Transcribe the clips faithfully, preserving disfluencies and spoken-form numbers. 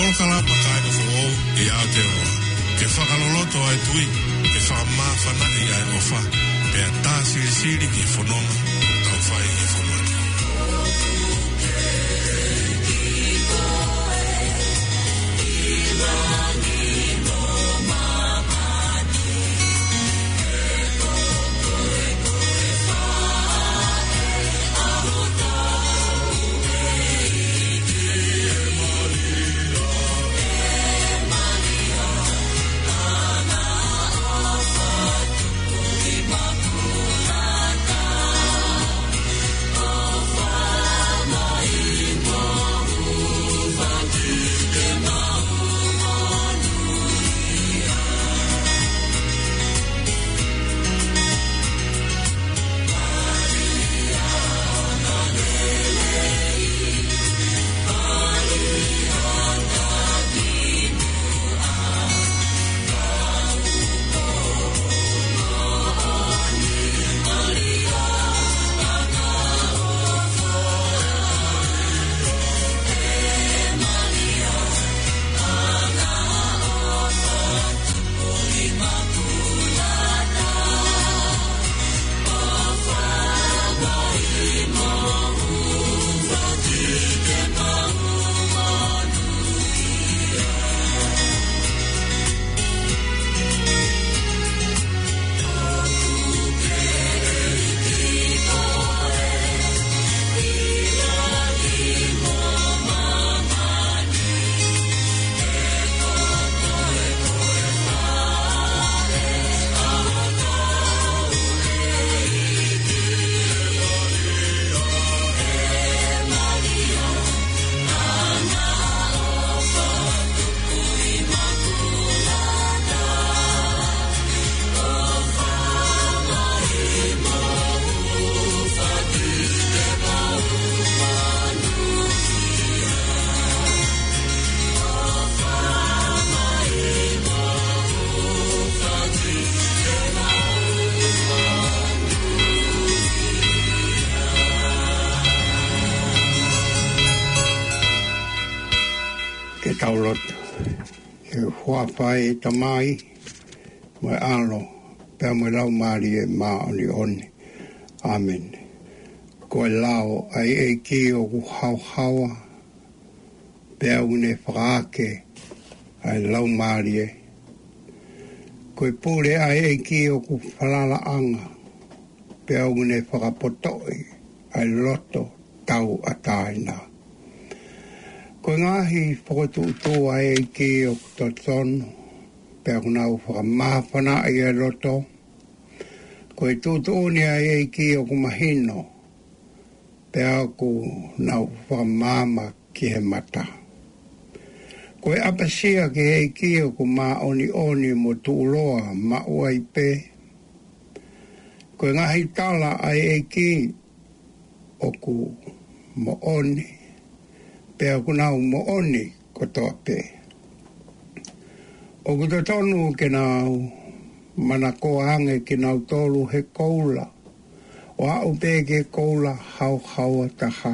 Polokalama Kāinga Foʻou ʻi Aotearoa. Ke fakaloloto ʻa e tui, ke fakamāfanaʻi ʻa e ʻofa, pea tā silisili ki he fononga ʻoku tau fai he fonua ni. Ke tau lotu. ʻI he huafa ʻo e Tamai, mo e ʻAlo, pea mo e Laumālie Māʻoniʻoni. ʻĀmeni. Ko e lao ʻa e ʻEiki ʻoku haohaoa, pea ʻoku ne fakaake ʻa e laumālie. Ko e pule ʻa e ʻEiki ʻoku falalaʻanga, pea ʻoku ne fakapotoʻi ʻa e loto tauʻatāina. Ko e ngaahi fokotuʻutuʻu ʻa e ʻEiki ʻoku totonu, pea ʻoku nau fakamāfanaʻi ʻa e loto. Ko e tuʻutuʻuni ʻa e ʻEiki ʻoku mahino, pea ʻoku nau fakamaama ki he mata. Ko e ʻapasia ki he ʻEiki ʻoku māʻoniʻoni mo tuʻuloa maʻu ai pē. Ko e ngaahi tala ʻa e ʻEiki ʻoku moʻoni, pea ʻoku nau moʻoni kotoa pē. ʻOku totonu ke nau manakoa ange kinautolu he koula, ʻo aʻu pē ki he koula haohaoa taha.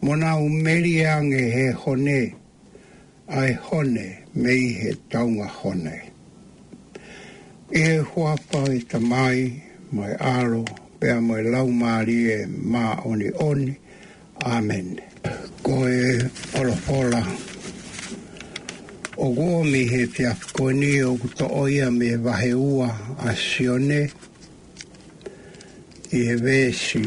Mo nau melie ange he hone, ʻa e hone mei he taunga hone. ʻI he huafa ʻo e Tamai, mo e ʻAlo, pea mo e Laumālie Māʻoniʻoni. ʻĀmeni. Ko e folofola ʻoku ʻomi he efiafi ko eni ʻoku toʻo ia mei he vahe ua ʻa Sione, ʻi he veesi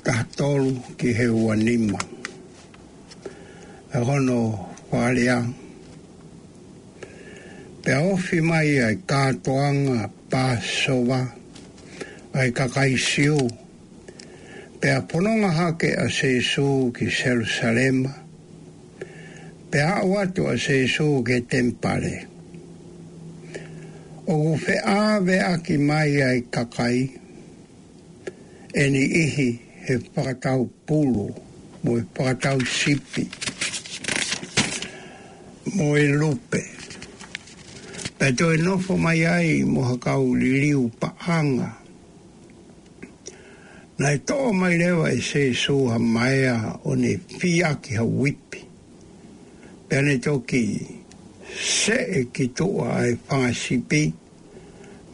taha tolu ki he ua nima. ʻA hono fakalea: Pea ofi mai ʻa e kātoanga Pāsova ʻa e kakai Siu, pea fononga hake ʻa Sīsū ki Selusalema, pea aʻu atu ʻa Sīsū ki he temipale. ʻOku feʻaveʻaki mai ʻa e kakai ʻe niʻihi he fakatau pulu, mo e fakatau sipi, mo e lupe. Pea toe nofo mai ai mo ha kau liliu paʻanga, Naʻe toʻo mai leva ʻe Sēsū ha maea ʻo ne fiaki ha uipi. Pea ne toki seʻe ki tuʻa ʻa e fanga sipi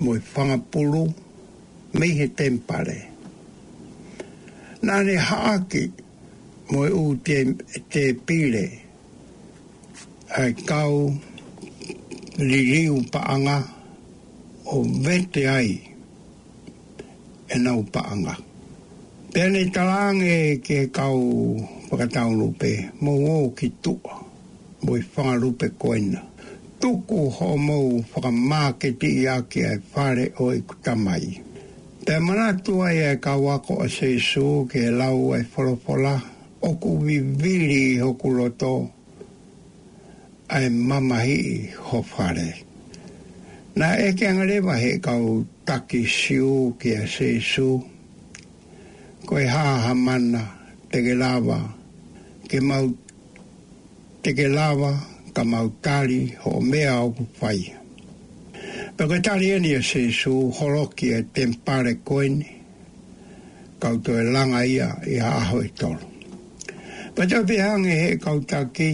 mo e fanga pulu mei he temipale. Naʻa ne haʻaki mo e ʻū te-, tēpile ʻa e kau liliu paʻanga ʻo vete ai ʻenau paʻanga. Pea ne talaange ki he kau fakatau lupe, mou ō ki tuʻa mo e fanga lupe ko ena. Tuku hoʻomou fakamāketiʻi ʻaki ʻa e fale ʻo ʻeku Tamai. Pea manatu ai ʻa e kau ako ʻa Sēsū ki he lau ʻa e folofola, ʻoku vivili ʻi hoku loto ʻa e mamahiʻi ho fale. Naʻe ʻeke ange leva ʻe he kau taki Siu kia Sēsū, ko e hā ha mana te ke lava, ke mau, te ke lava ka mau tali hoʻo meʻa ʻoku fai. Pea ko e tali eni ʻa Sēsū, holoki e temipale ko eni, kau toe langa ia ʻi ha ʻaho ʻe tolu. Pea toe pehē ange ʻe he kau taki,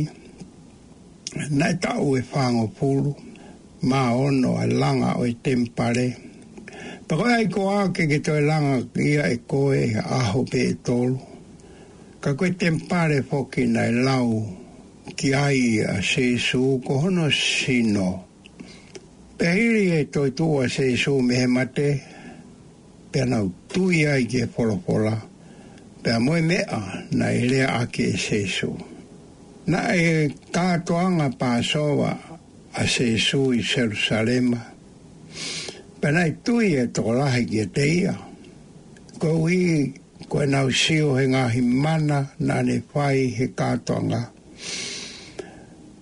naʻe taʻu ʻe fāngofulu mā ono ʻa e langa ʻo e temipale. Pea ko e ʻai koā ke ke toe langa ia ʻe koe ʻaho pē ʻe tolu. Ka ko e temipale foki naʻe lau ki ai ʻa Sēsū ko hono sino. Pea hili e toetuʻu ʻa Sēsū mei he mate, pea nau tui ai ki he folofola, pea mo e meʻa naʻe leaʻaki ʻe Sēsū. Naʻe kātoanga Pāsova ʻa Sēsū ʻi Selusalema, pea naʻe tui e tokolahi kiate ia. Koeʻuhi ko ʻenau sio he ngaahi mana naʻa ne fai he kātoanga.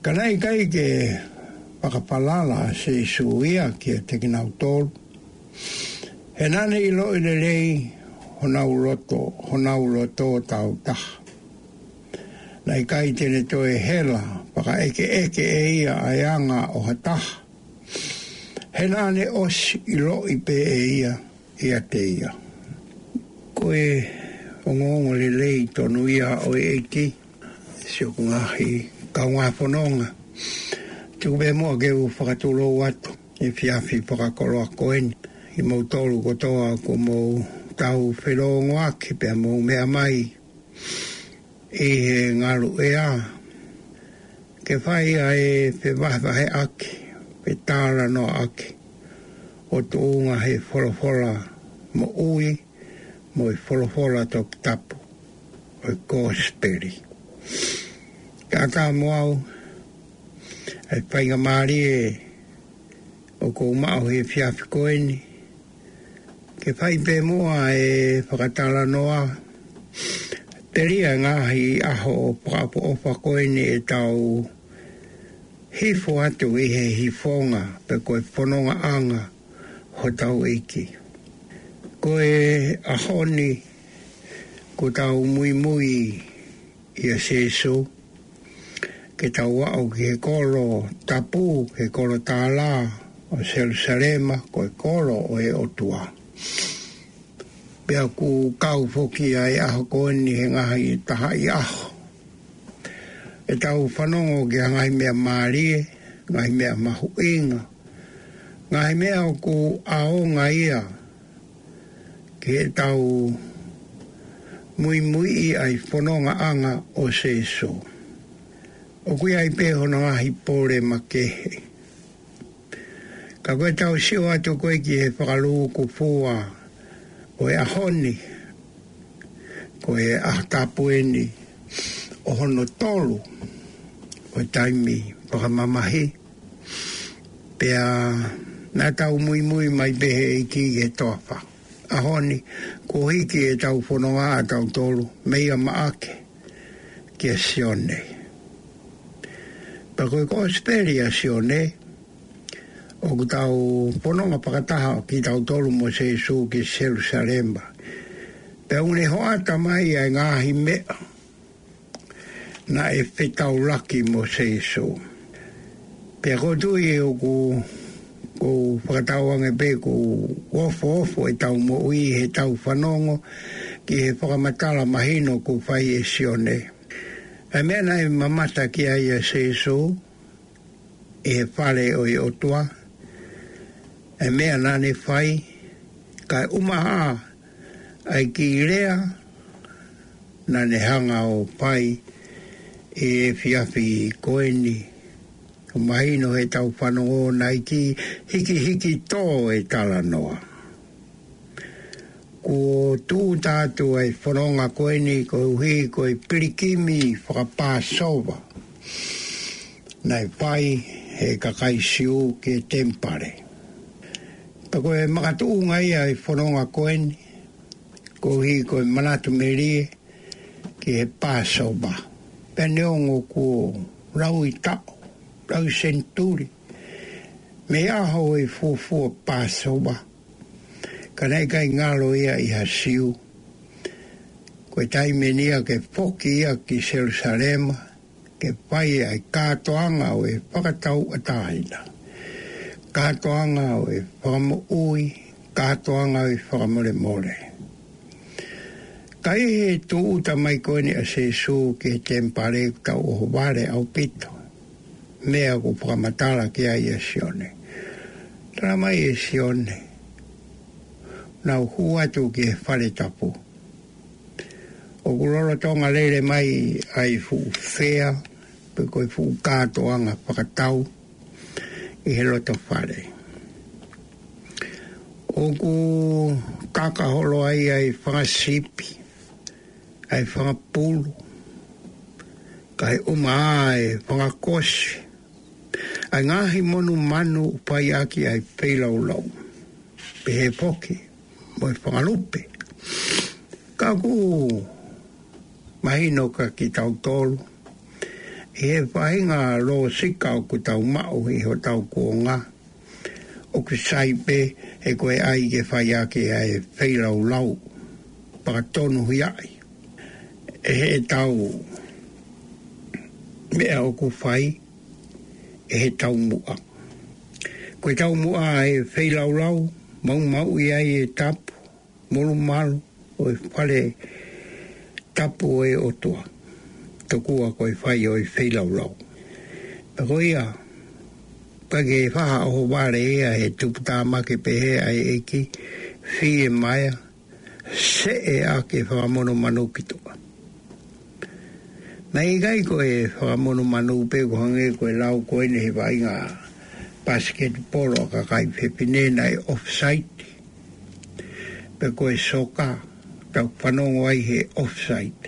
Ka naʻe ʻikai ke fakafalala ʻa Sēsū ia kiate kinautolu. He naʻa ne ʻiloʻi lelei honau loto, honau loto tāutaha. Naʻe ʻikai te ne toe hela fakaʻekeʻeke ʻe ia ʻa e anga ʻo ha taha. He naʻa ne ʻosi ʻiloʻi pē ʻe ia ʻiate ia. Ko e ongoongo lelei tonu ia ʻo e ʻEiki, siʻoku ngaahi kaungā fononga. Tuku pē muʻa ke u fakatulou atu he efiafi fakakoloa ko eni, ʻi moutolu kotoa kuo mou tau felōngoaki pea mou meʻa mai ʻi he ngalu ʻea, ke fai ʻa e fevahevaheʻaki, fetalanoaʻaki, ʻo tuʻunga he folofola moʻui, mo e folofola toputapu, ʻo e kosipeli. Kātaki mo au, ʻa e faingamālie ʻoku ou maʻu he efiafi ko eni, ke fai pē muʻa e fakatalanoa, telia ngaahi ʻaho ʻo fakaʻofoʻofa ko eni ʻetau hifo atu ʻi he hifonga pe ko e fonongaʻanga hotau ʻEiki. Ko e ʻaho ni, kuo tau muimui ʻia Sēsū, ke tau aʻu ki he kolo tapu, ki he kolo tālā ʻo Selusalema, ko e kolo ʻo e ʻOtua. Pea ʻoku kau foki ʻa e ʻaho ko eni he ngaahi tahaʻi ʻaho. ʻEtau fanongo ki ha ngaahi meʻa mālie, ngaahi meʻa mahuʻinga, ngaahi meʻa ʻoku ʻaonga ia ke tau muimuiʻi ʻa e fonongaʻanga ʻo Sēsū. ʻOku ʻi ai pē hono ngaahi pole makehe. Ka ko ʻetau sio atu ko ē ki he fakalūkufua ʻo e ʻaho ni, ko e ʻaho tapu eni ʻo hono tolu ʻo e taimi fakamamahi. Pea naʻa tau muimui mai pē he ʻEiki ki he toafa. ʻAho ni, kuo hiki ʻetau fononga ʻa tautolu mei a Maʻake kia Sione. Pea ko e kosipeli ʻa Sione, ʻoku tau fononga fakataha kitautolu mo Sēsū ki Selusalema. Pea ʻoku ne hoʻata mai ʻa e ngaahi meʻa naʻe fetaulaki mo Sēsū. Pea ʻoku ou tui ʻoku, ʻoku fakatauange pē ʻoku ofoofo ʻetau moʻui heʻetau fanongo ki he fakamatala mahino kuo fai ʻe Sione. ʻA e meʻa naʻe mamata ki ai ʻa Sīsū ʻi he fale ʻo e ʻOtua, ʻa e meʻa naʻa ne fai, kae ʻumaʻā ʻa e kiʻi lea naʻa ne hanga ʻo fai ʻi he efiafi ko eni. ʻOku mahino heʻetau fanongo naʻe kiʻi hikihiki tō e talanoa. Kuo tūʻuta atu ʻa e fononga ko eni koeʻuhi ko e pilikimi fakapāsova naʻe fai ʻe he kakai Siu ki he temipale. Pea ko e makatuʻunga ia ʻa e fononga ko eni, koeʻuhi ko e manatu melie ki he Pāsova. Pea neongo kuo laui taʻu, laui senituli mei he ʻaho ʻo e fuofua Pāsova, ka naʻe ʻikai ngalo ia ʻi ha Siu. Ko e taimi eni ia ke foki ia ki Selusalema, ke fai ʻa e kātoanga ʻo e fakatauʻatāina, kātoanga ʻo e fakamoʻui, kātoanga ʻo e fakamolemole. Ka ʻi he tūʻuta mai ko eni ʻa Sīsū ki he temipale, ʻoku tau ʻohovale ʻaupito meʻa ʻoku fakamatala ki ai ʻa Sione. Tala mai ʻe Sione, naʻa nau hū atu ki he fale tapu. ʻOku lolotonga lele mai ʻa e fuʻu fea, pe ko e fuʻu kātoanga fakatau ʻi he loto fale. ʻOku kaka holo ai ʻa e fanga sipi, ʻa e fanga pulu, kae ʻumaʻā ʻa e fanga kosi, ʻa e ngaahi monumanu ʻoku fai ʻaki ʻa e feilaulau, pehē foki mo e fanga lupe. Ka ʻoku mahino kia kitautolu, ʻi he faʻahinga lōsika ʻoku tau maʻu ʻi hotau kuonga, ʻoku sai pē he ko e ʻai ke fai ʻaki ʻa e feilaulau, fakatonuhiaʻi ʻe heʻetau meʻa ʻoku fai, ʻe he taumuʻa. Ko e taumuʻa ʻa e feilaulau, maumauʻi ai e tapu, molumalu ʻo e fale tapu ʻo e ʻOtua, tokua ko e fai ʻo e feilaulau. Pea ko ia, ka ke faʻa ʻohovale ia he tuputāmaki pehē ʻa e ʻEiki, fiemaʻu, seʻe ʻaki e fanga monumanu ki tuʻa. Naʻe ʻikai ko e fanga monumanu pē, ʻoku hangē ko e lau ko eni he vaʻinga pasiketipolo ʻa e kakai fefine, naʻe offside. Pe ko e soka, tau fanongo ai he offside.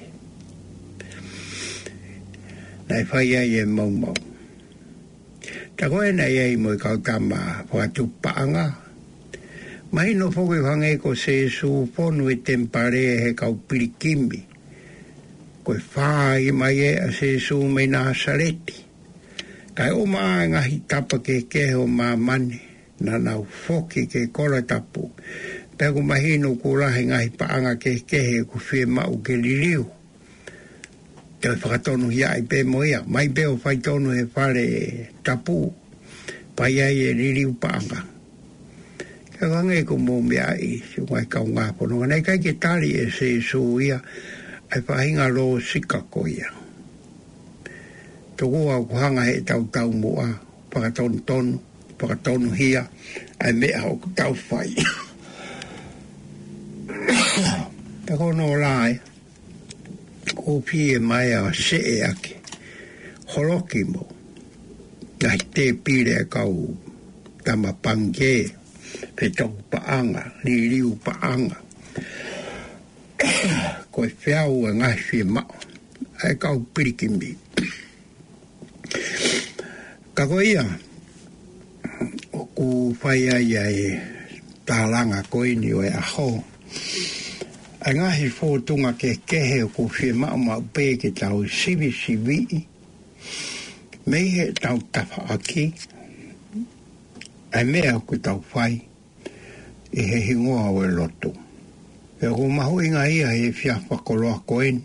Naʻe fai ai e maumau. Ka ko e naʻe ʻi ai mo e kau tama fakatupu paʻanga. Mahino foki ʻoku hangē ko Sīsū fonu e temipale he kau pilikimi. Ko e fāʻi mai ē ʻa Sīsū mei Nāsaleti, kae ʻumaʻā e ngaahi tapa kehekehe ʻo māmani, naʻa nau foki ki he kolo tapu. Pea ʻoku mahino kuo lahi e ngaahi paʻanga kehekehe ʻoku fiemaʻu ke liliu. Toe fakatonuhiaʻi pē mo ia, mai pē ʻo fai tonu he fale tapu, fai ai e liliu paʻanga. Ka ʻoku hangē ʻoku mou meaʻi, siʻi ngaahi kaungā fononga, naʻe ʻikai ke tali ʻe Sīsū ia ʻa e faʻahinga lōsika ko ia. Tokua ʻoku hanga heʻetau taumuʻa, fakatonutonu, fakatonuhia ʻa e meʻa ʻoku tau fai. Ka ko hono lahi, ʻoku fiemaʻu ʻa e seʻe ʻaki, holoki mo e ngaahi tēpile ʻa e kau tama pangikē, fetuku paʻanga, liliu paʻanga. Ko e feau e ngaahi fiemaʻu ʻa e kau pilikimi. Ka ko ia, ʻoku fai ai ʻa e tālanga ko eni ʻo e ʻaho, ʻa e ngaahi fōtunga kehekehe ʻoku fiemaʻu maʻu pē ke tau sivisiviʻi mei heʻetau tafaʻaki, ʻa e meʻa ʻoku tau fai ʻi he hingoa ʻo e lotu. Pea ʻoku mahuʻinga ia he efiafi fakakoloa ko eni,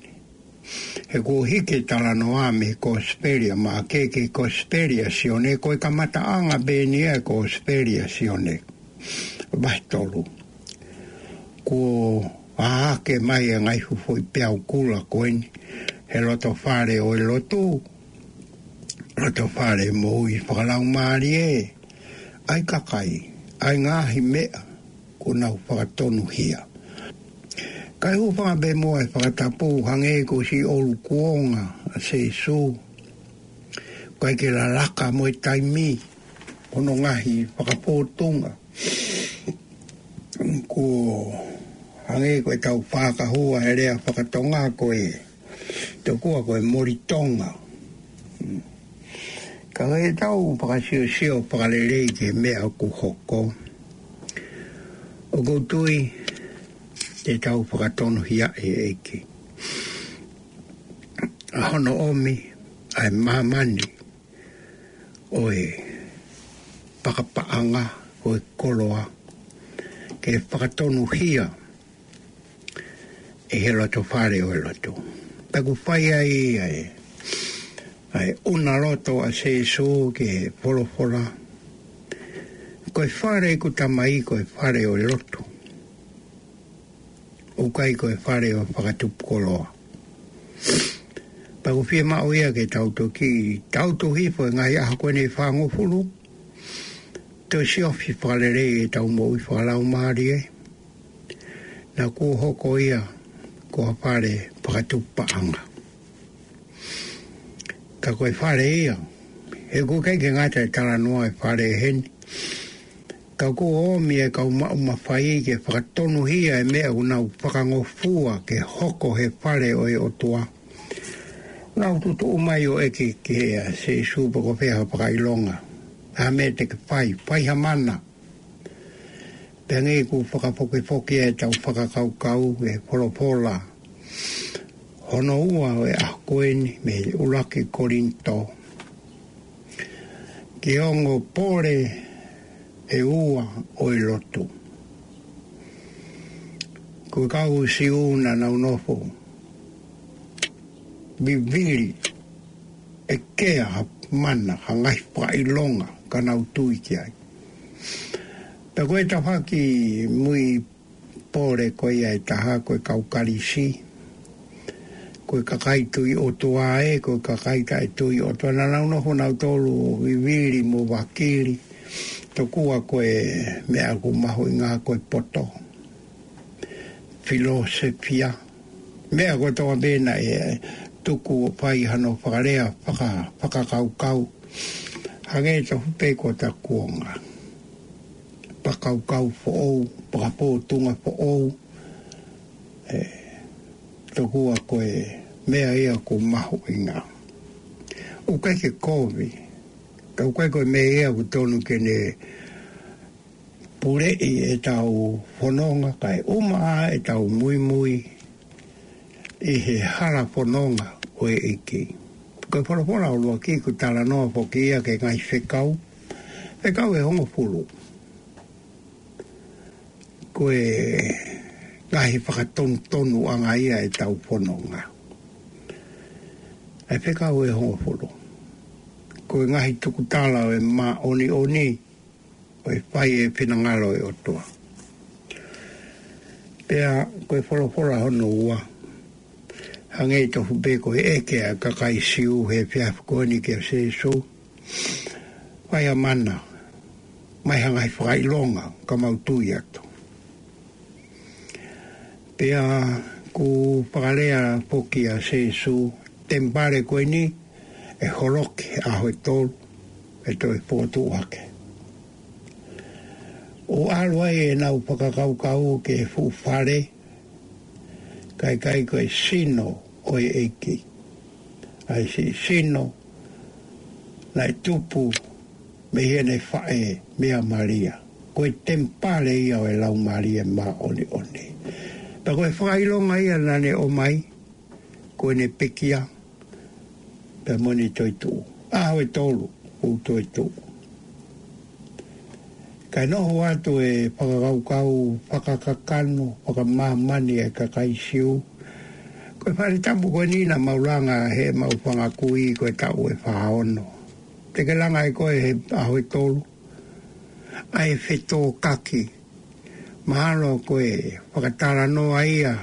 he kuo hiki e talanoa mei he Kosipeli ʻa Maʻake ki he Kosipeli ʻa Sione, ko e kamataʻanga pē eni ʻa e Kosipeli ʻa Sione. Vahe tolu. Kuo ʻAke mai e ngaahi fuʻu foʻi peau kula ko eni he loto fale ʻo e lotu, loto fale moʻui fakalaumālie, ʻa e kakai, ʻa e ngaahi meʻa kuo nau fakatonuhia. Kae hūfanga pē muʻa e fakatapu hangē ko siʻi ʻOlu Kuonga ʻa Sēsū, ʻikai ke lalaka mo e taimi, hono ngaahi fakapōtunga. Kuo hangē ko ʻetau fakahua he lea fakatonga ko e, tokua ko e moli Tonga. Ka ʻi heʻetau fakasiosio fakalelei ki he meʻa ʻoku hoko, ʻoku ou tui te tau fakatonuhia e ʻEiki ʻa hono ʻomi ʻa e māmani ʻo e fakapaʻanga ʻo e koloa ke fakatonuhia ʻi he loto fale ʻo e lotu. Pea ʻoku fai ai ʻa e, ʻa e ʻuna loto ʻa Sēsū ki he folofola. Ko e fale ʻeku Tamai ko e fale ʻo e lotu, ʻoku ʻikai ko e fale ʻo e fakatupu koloa. Pea ʻoku fiemaʻu ia ke tau toki, tau toki hifo e ngaahi ʻaho ko eni ʻe fāngofulu, toe siofi fakalelei ʻetau moʻui fakalaumālie. Naʻa kuo hoko ia ko ha fale fakatupu paʻanga. Ka ko e fale ia, he ʻoku ʻikai ke ngata e talanoa e fale heni, ka kuo ʻomi e kau maʻu mafai ke fakatonuhia e meʻa ʻoku nau fakangofua ke hoko he fale ʻo e ʻOtua. Nau tutuʻu mai ʻo ʻeke kia Sēsū pe ko e hā ha fakaʻilonga, ha meʻa te ke fai, fai ha mana. Pea hangē ʻoku fakafokifoki ʻetau fakakaukau e folofola hono ua ʻo e ʻaho ko eni mei he ʻuluaki Kolinitō, ki he ongo pole ʻe ua ʻo e lotu. Ko e kau Siu naʻa nau nofo vivili ʻeke ha mana, ha ngaahi fakaʻilonga ka nau tui ki ai. Pea ko e tafaʻaki mui pole ko ia ʻe taha ko e kau Kalisi, ko e kakai tui ʻOtua ē, ko e kakai taʻetui ʻOtua, naʻa nau nofo nautolu ʻo vivili mo vakili, tokua ko e meʻa ʻoku mahuʻinga ko e poto, filōsefia, meʻa kotoa pē naʻe tuku ʻo fai hano fakalea faka-, fakakaukau. Hangē tofu pē ko ʻeta kuonga. Fakakaukau foʻou, fakapōtunga foʻou. ʻE, tokua ko e meʻa ia ʻoku mahuʻinga. ʻOku ʻikai ke kovi, ka ʻoku ʻikai ko e meʻa ia ʻoku tonu ke ne puleʻi ʻetau fononga, kae ʻuma ʻa ʻetau muimui ʻi he hala fononga ʻo e ʻEiki. Ko e folofola ʻuluaki ʻoku talanoa foki ia ki he ngaahi fekau, fekau ʻe hongofulu. Ko e ngaahi fakatonutonuʻanga ia ʻetau fononga. ʻA e fekau ʻe hongofulu. Ko e ngaahi tukutala ʻo e māʻoniʻoni, ʻo e fai e finangalo ʻo e ʻOtua. Pea ko e folofola hono ua, hangē tofu pē ko e ʻeke ʻa e kakai Siu he efiafi ko eni kia Sēsū, fai ha mana, ʻomai ha ngaahi fakaʻilonga ka mau tui atu. Pea ʻoku fakalea foki ʻa Sēsū, temipale ko eni ʻe holoki he ʻaho ʻe tolu, ʻe toe fokotuʻu hake. ʻO ʻalu ai ʻenau fakakaukau ki he fuʻu fale, ka ʻikai ko e sino ʻo e ʻEiki. ʻA e siʻi sino naʻe tupu mei heʻene faʻē meia Malia. Ko e temipale ia ʻo e Laumālie Māʻoniʻoni. Pea ko e fakaʻilonga ia naʻa ne ʻomai, ko ʻene pekia, pea mo ʻene toetuʻu. ʻAho ʻe tolu, ʻo toetuʻu. Kae noho atu e fakakaukau fakakakano, fakamāmani e kakai Siu. Ko e fale tapu ko eni naʻa mau langa heʻemau fanga kui ko e taʻu ʻe fā ono. Te ke langa ʻe koe he ʻaho ʻe tolu ʻa e fetōkaki Mahalo ko e fakatalanoa ia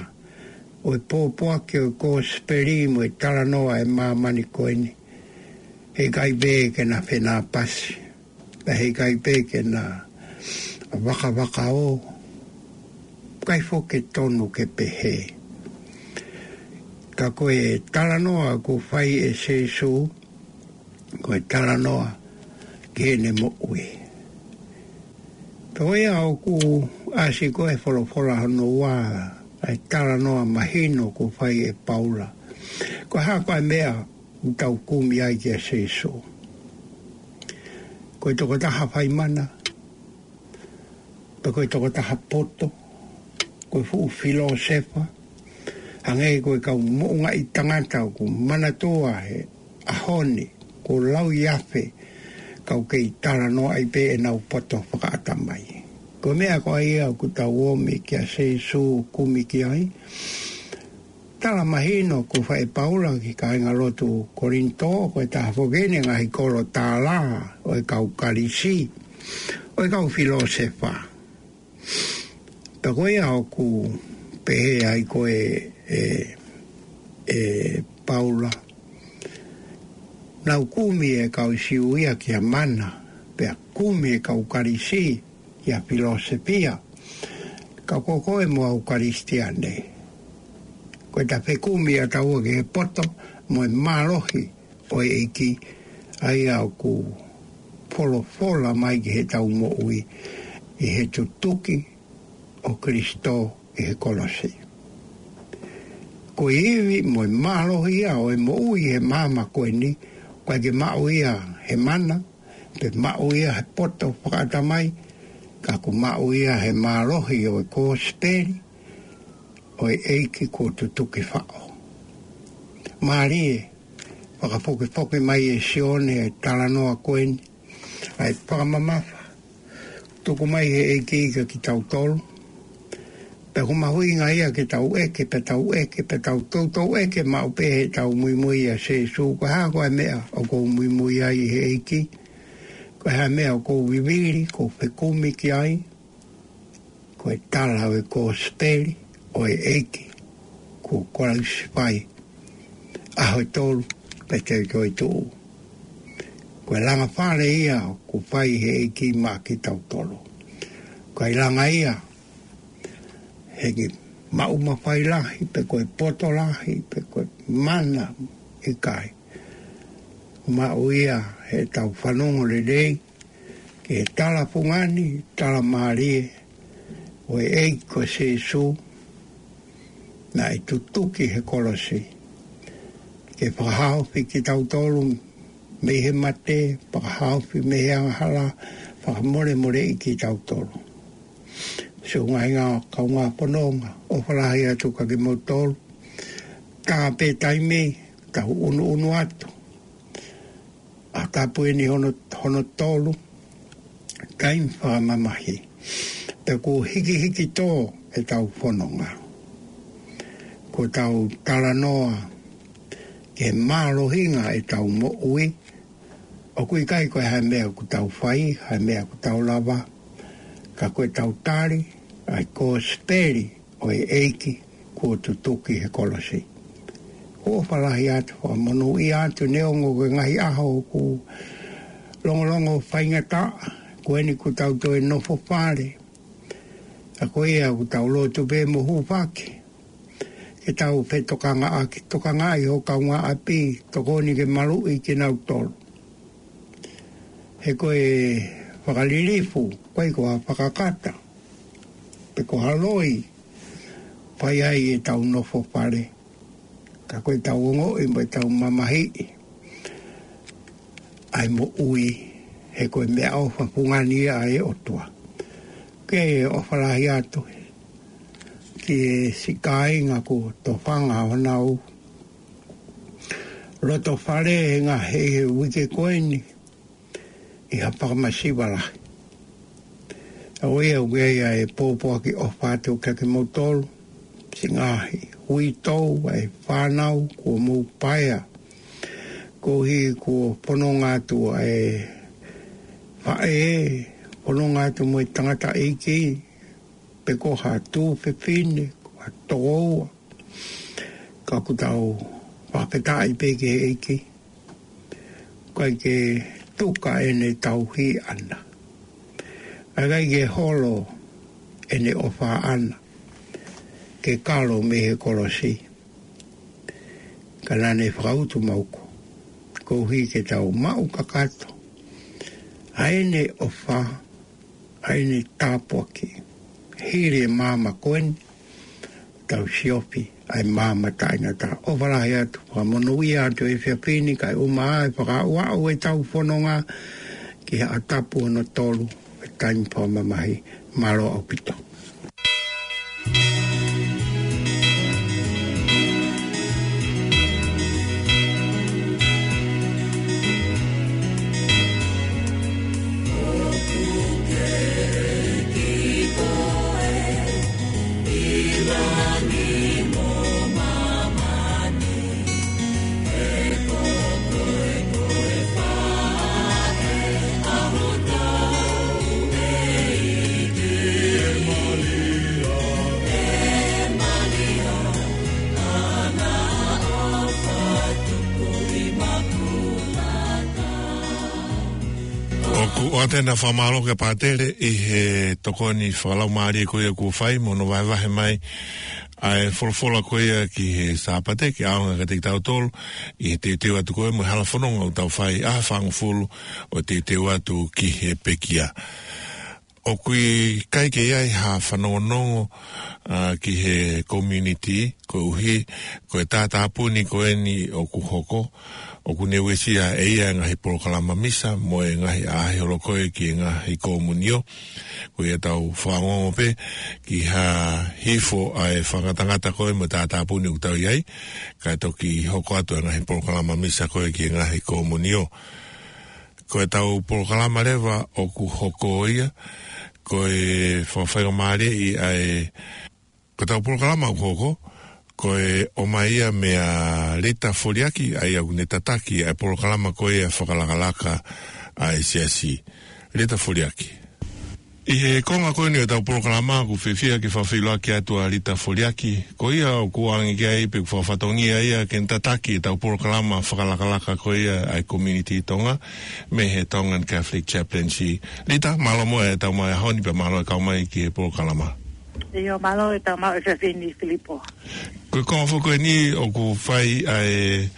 ʻo e pōpoaki ʻo e kosipeli mo e talanoa ʻa e māmani ko eni. Heʻikai pē ke na fenāpasi, pea heʻikai pē ke na vakavakaō, ʻikai foki ke tonu ke pehē. Ka ko e talanoa kuo fai ʻe Sīsū, ko e talanoa ki heʻene moʻui. Pea ko ia ʻoku ʻasi ko e folofola hono ua, ʻa e talanoa mahino kuo fai ʻe Paula. Ko e hā ko e meʻa ʻoku tau kumi ai kia Sīsū? Ko e tokotaha fai mana, pe ko e tokotaha poto, ko e fuʻu filōsefa, hangē ko e kau moʻungaʻi tangata ʻoku manatua he ʻaho ni, kuo lauiafe, kau kei talanoaʻi pē ʻenau poto fakaʻatamai. Ko e meʻa ko ia ʻoku tau ōmi kia Sīsū, kumi ki ai. Tala mahino kuo fai ʻe Paula ki he kāingalotu Kolinitō, ko e taha foki eni e ngaahi kolo tālā ʻo e kau Kalisi, ʻo e kau filōsefa. Pea ko ia ʻoku pehē ai ko e, e, e Paula, naʻa nau kumi e kau Siu ia kia mana, pea kumi e kau Kalisi kia filōsefia. Ka ko koe mo au Kalisitiane, ko ʻeta fekumi ʻa taua ki he poto mo e mālohi ʻo e ʻEiki, ʻa ia ʻoku folofola mai ki heʻetau moʻui ʻi he tutuki ʻo Kalaisi ʻi he kolosi. Ko e ivi mo e mālohi ia ʻo e moʻui he māmani ko eni, ʻoku ʻikai ke maʻu ia he mana, pe maʻu ia he poto fakaʻatamai, ka ʻoku maʻu ia he mālohi ʻo e kosipeli ʻo e ʻEiki kuo tutuki faʻo. Mālie, fakafokifoki mai ʻe Sione e talanoa ko eni, ʻa e fakamamafa, tuku mai he ʻEiki kia kitautolu. Pea ʻoku mahuʻinga ia ke tau ʻeke, pea tau ʻeke, pea tau toutou ʻeke maʻu pē heʻetau muimui ʻia Sīsū, ko e hā ko e meʻa ʻoku ou muimui ai he ʻEiki, ko e hā e meʻa ʻoku ou vivili, ʻoku ou fekumi ki ai. Ko e tala ʻo e kosipeli ʻo e ʻEiki kuo kolisi fai, ʻaho ʻe tolu pea toki tuʻu. Ko e langa fale ia ʻoku fai he ʻEiki maʻa kitautolu. Ko e langa ia, heʻikai maʻu mafai lahi, pe ko e poto lahi, pe ko e mana, ʻikai. Maʻu ia heʻetau fanongo lelei ki he tala fungani, tala mālie ʻo e ʻEiki ko Sīsū, naʻe tutuki he kolosi ke fakahaofi kitautolu mei he mate, fakahaofi mei he angahala, fakamolemoleʻi kitautolu. Siʻi ngaahi kaungā fononga, ʻofa lahi atu kia kimoutolu. Tā pē taimi, tau ʻunuʻunu atu. ʻA tapu eni hono, hono tolu, taimi fakamamahi. Pea kuo hikihiki tō ʻetau fononga. Kuo tau talanoa ki he mālohinga ʻetau moʻui. ʻOku ʻikai ko e hā e meʻa ʻoku tau fai, hā e meʻa ʻoku tau lava. Ka ko ʻetau tali ʻa e kosipeli ʻo e ʻEiki kuo tutuki he kolosi. ʻOfa lahi atu, fakamonūʻia atu, neongo ko e ngaahi ʻaho ʻoku longolongo faingataʻa, ko eni kuo tau toe nofo fale. Ka ko ia ʻoku tau lotu pē mo hūfaki, ke tau fetokangaʻaki, tokangaʻi ho kaungāʻapi, tokoni ke maluʻi kinautolu. He ko e fakalilifu, ʻikai ko ha fakakata, pe ko ha loi, fai ai ʻetau nofo fale. Ka ko ʻetau ongoʻi mo ʻetau mamahiʻi ʻa e moʻui, he ko e meʻaʻofa fungani ia ʻa e ʻOtua. Ke ʻofa lahi atu ki he siʻi kāinga kuo tofanga honau loto fale he ngaahi uike ko eni ʻi ha fakamasiva lahi. ʻA ia ʻoku ʻi ai ʻa e pōpoaki ʻofa atu kia kimoutolu, siʻi ngaahi uitou, ʻa e fānau, kuo mou paea. Koeʻuhi kuo fononga atu ʻa e faʻē, fononga atu mo e tangataʻeiki, pe ko ha tuofefine, ko ha tokoua. Ka ʻoku tau fakafetaʻi pē ki he ʻEiki. ʻIkai ke tuka ʻene tauhi ʻaʻana. ʻIkai ke holo ʻene ʻofa ʻaʻana. Ke kalo mei he kolosi. Ka naʻa ne fakautu maʻu ko. Koeʻuhi ke tau maʻu kakato. ʻA ʻene ʻofa, ʻa ʻene tāpuaki. Hili e maama ko eni, tau siofi, ʻa e maama taʻengata. ʻOfa lahi atu, fakamonūʻia atu e efiafi ni, kae ʻumaʻā e fakaaʻuaʻu ʻetau fononga, ki he ʻaho tapu hono tolu, e taimi fakamamahi, mālō ʻaupito. ʻOku ʻoatu ʻena fakamālō ki he pātele ʻi he tokoni fakalaumālie ko ia kuo fai mo hono vahevahe mai ʻa e folofola ko ia ki he Sāpate ke ʻaonga kiate kitautolu ʻi he teuteu atu ko ē mo e hala fononga ʻoku tau fai ʻaho ʻe fāngofulu ʻo teuteu atu ki he pekia. ʻOku ʻikai ke ʻi ai ha fanongonongo, ʻa, ki he community, koeʻuhi, ko e tātāpuni ko eni ʻoku hoko, ʻoku ne uesia ʻe ia e ngaahi polokalama misa, mo e ngaahi ʻaʻahi holo ko ē ki he ngaahi komunio, ko ia tau fanongo pē, ki ha hifo ʻa e fakangatangata ko ē mo e tātāpuni ʻoku tau ʻi ai, kae toki hoko atu e ngaahi polokalama misa ko ē ki he ngaahi komunio. Ko ʻetau polokalama leva ʻoku hoko ia, ko e fakafaingamālieʻi ʻa e, ko ʻetau polokalama ʻoku hoko, ko e ʻomai ia meia Lita Foliaki, ʻa ia ʻoku ne tataki ʻa e polokalama ko ia fakalakalaka ʻa e siasi. Lita Foliaki. ʻI he konga ko eni ʻo ʻetau polokalama, ʻoku fiefia ke fakafeʻiloaki atu ʻa Lita Foliaki, ko ia ʻoku ʻoange ki ai pe ʻoku fakafatongia ia ke ne tataki ʻetau polokalama fakalakalaka ko ia ʻa e Community Tonga, mei he Tongan Catholic Chaplaincy. Lita, mālō muʻa e tau mai ʻaho ni pea mālō e kau mai ki he polokalama. ʻIo, mālō e tau mai ʻa Fefini Filipo. Ko e konga foki ko eni ʻoku fai ʻa e,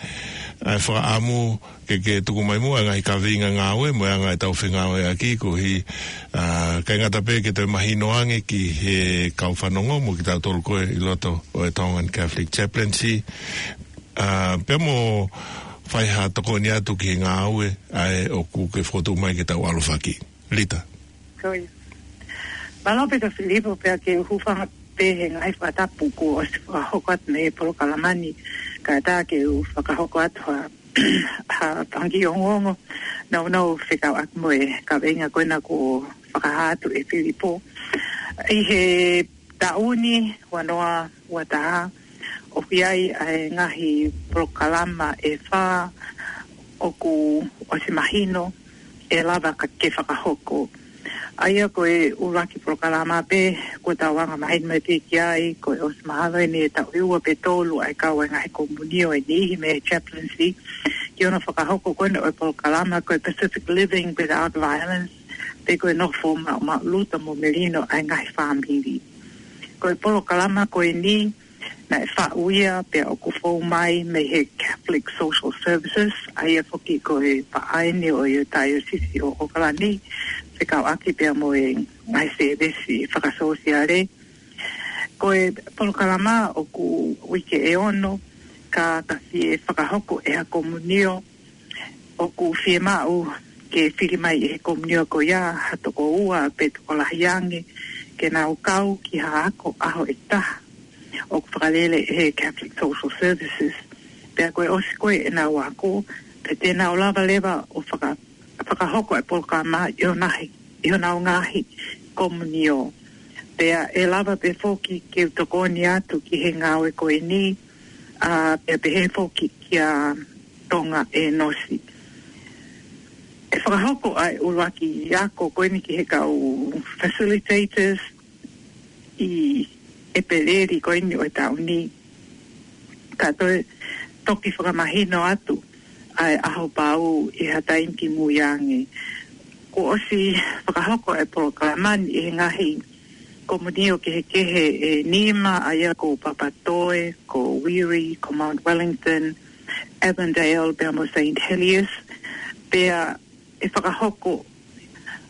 ʻa e fakaʻamu ke, ke tuku mai muʻa e ngaahi kaveinga ngāue, mo e anga ʻetau fengāueʻaki, koeʻuhi, ʻa, ʻikai ngata pē ke toe mahino ange ki he kau fanongo, mo kitautolu ko ē ʻi loto ʻo e Tongan Catholic Chaplaincy, ʻa, pea mo fai ha tokoni atu ki he ngāue, ʻa ē ʻoku ke fokotuʻu mai ke tau ʻalofaki. Lita. Ko ia. Mālō pē ka Filipo pea ke u hūfanga pē he ngaahi fakatapu kuo ʻosi fakahoko atu mei he polokalama ni, kae ʻatā ke u fakahoko atu ha, ha fanga kiʻi ongoongo, nounou fekauʻaki mo e kaveinga ko ena kuo fakahā atu ʻe Filipo. ʻI he taʻu ni, ua noa ua taha, ʻoku ʻi ai ʻa e ngaahi polokalama ʻe fā ʻoku ʻosi mahino ʻe lava ka ke fakahoko. ʻA ia ko e ʻuluaki polokalama pē, kuo tau anga mahino mai pē ki ai, ko e ʻosi mahalo eni e taʻu ʻe ua pe tolu ʻa e kau ʻa e ngaahi komunio ʻe niʻihi mei he chaplaincy, ki hono fakahoko ko ena ʻo e polokalama ko e Pacific Living Without Violence, pe ko e nofo maʻu, maʻumaʻuluta mo melino ʻa e ngaahi fāmili. Ko e polokalama ko eni, naʻe faʻu ia pea ʻoku fou mai mei he Catholic Social Services, ʻa ia foki ko e paʻaeni ʻo e Taiosisi ʻo ʻOkalani, fekauʻaki pea mo e ngaahi sēvesi fakasōsiale. Ko e polokalama ʻoku uike ʻe ono, ka ka fie fakahoko ʻe ha komunio, ʻoku fiemaʻu ke fili mai ʻe he komunio ko ia ha toko ua pe tokolahi ange ke nau kau ki ha ako ʻaho ʻe taha ʻoku fakalele ʻe he Catholic Social Services. Pea ko e ʻosi ko ē ʻenau ako, pea te nau lava leva ʻo faka-, fakahoko e polokalama ʻi honau, ʻi honau ngaahi komunio. Pea ʻe lava pē foki ke u tokoni atu ki he ngāue ko eni, ʻa, pea pehē foki kia Tonga ʻEnosi. ʻE fakahoko ʻa e ʻuluaki ako ko eni ki he kau facilitators, ʻi ʻEpeleli ko eni ʻo e taʻu ni, ka toe toki fakamahino atu ʻa e ʻaho pau ʻi ha taimi kimui ange. Kuo ʻosi fakahoko e polokalama ni ʻi he ngaahi komunio kehekehe ʻe nima, ʻa ia ko Papatoetoe, ko Wiri, ko Mount Wellington, Avondale, pea mo Saint Heliers, pea ʻe fakahoko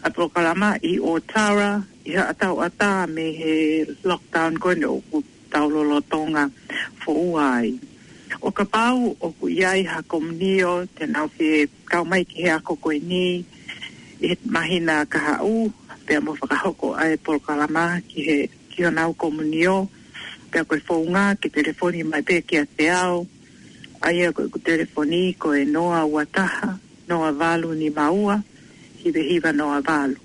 ʻa e polokalama ʻi Ōtara, ʻi ha ʻatā mei he lockdown ko eni ʻoku tau lolotonga foua ai. ʻO kapau ʻoku ʻi ai ha komunio te nau fie kau mai ki he ako ko eni ʻi he māhina kahaʻu, pea mo fakahoko ʻa e polokalama ki he, ki honau komunio, pea ko e founga ke telefoni mai pē kiate au, ʻa ia ko ʻeku telefoni ko e noa ua taha, noa valu nima ua, hiva hiva noa valu.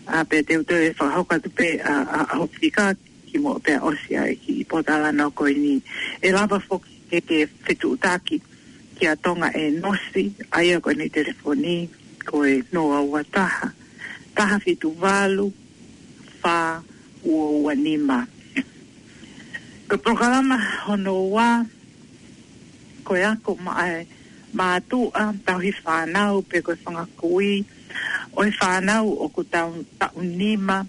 ʻA, pea te u toe fakahoko atu pē ʻa, ʻa, ʻa hoku fika kimuʻa pea ʻosi ʻa e kiʻi pōtalanoa ko eni. ʻE lava foki ke, ke fetuʻutaki kia Tonga ʻe nosi, ʻa ia ko ʻene telefoni ko e noa ua taha, taha fitu valu, fā ua ua nima. Ko e polokalama hono ua, ko e ako maʻa e mātuʻa, tauhi fānau, pe ko e fanga kui ʻo e fānau ʻoku tau, taʻu nima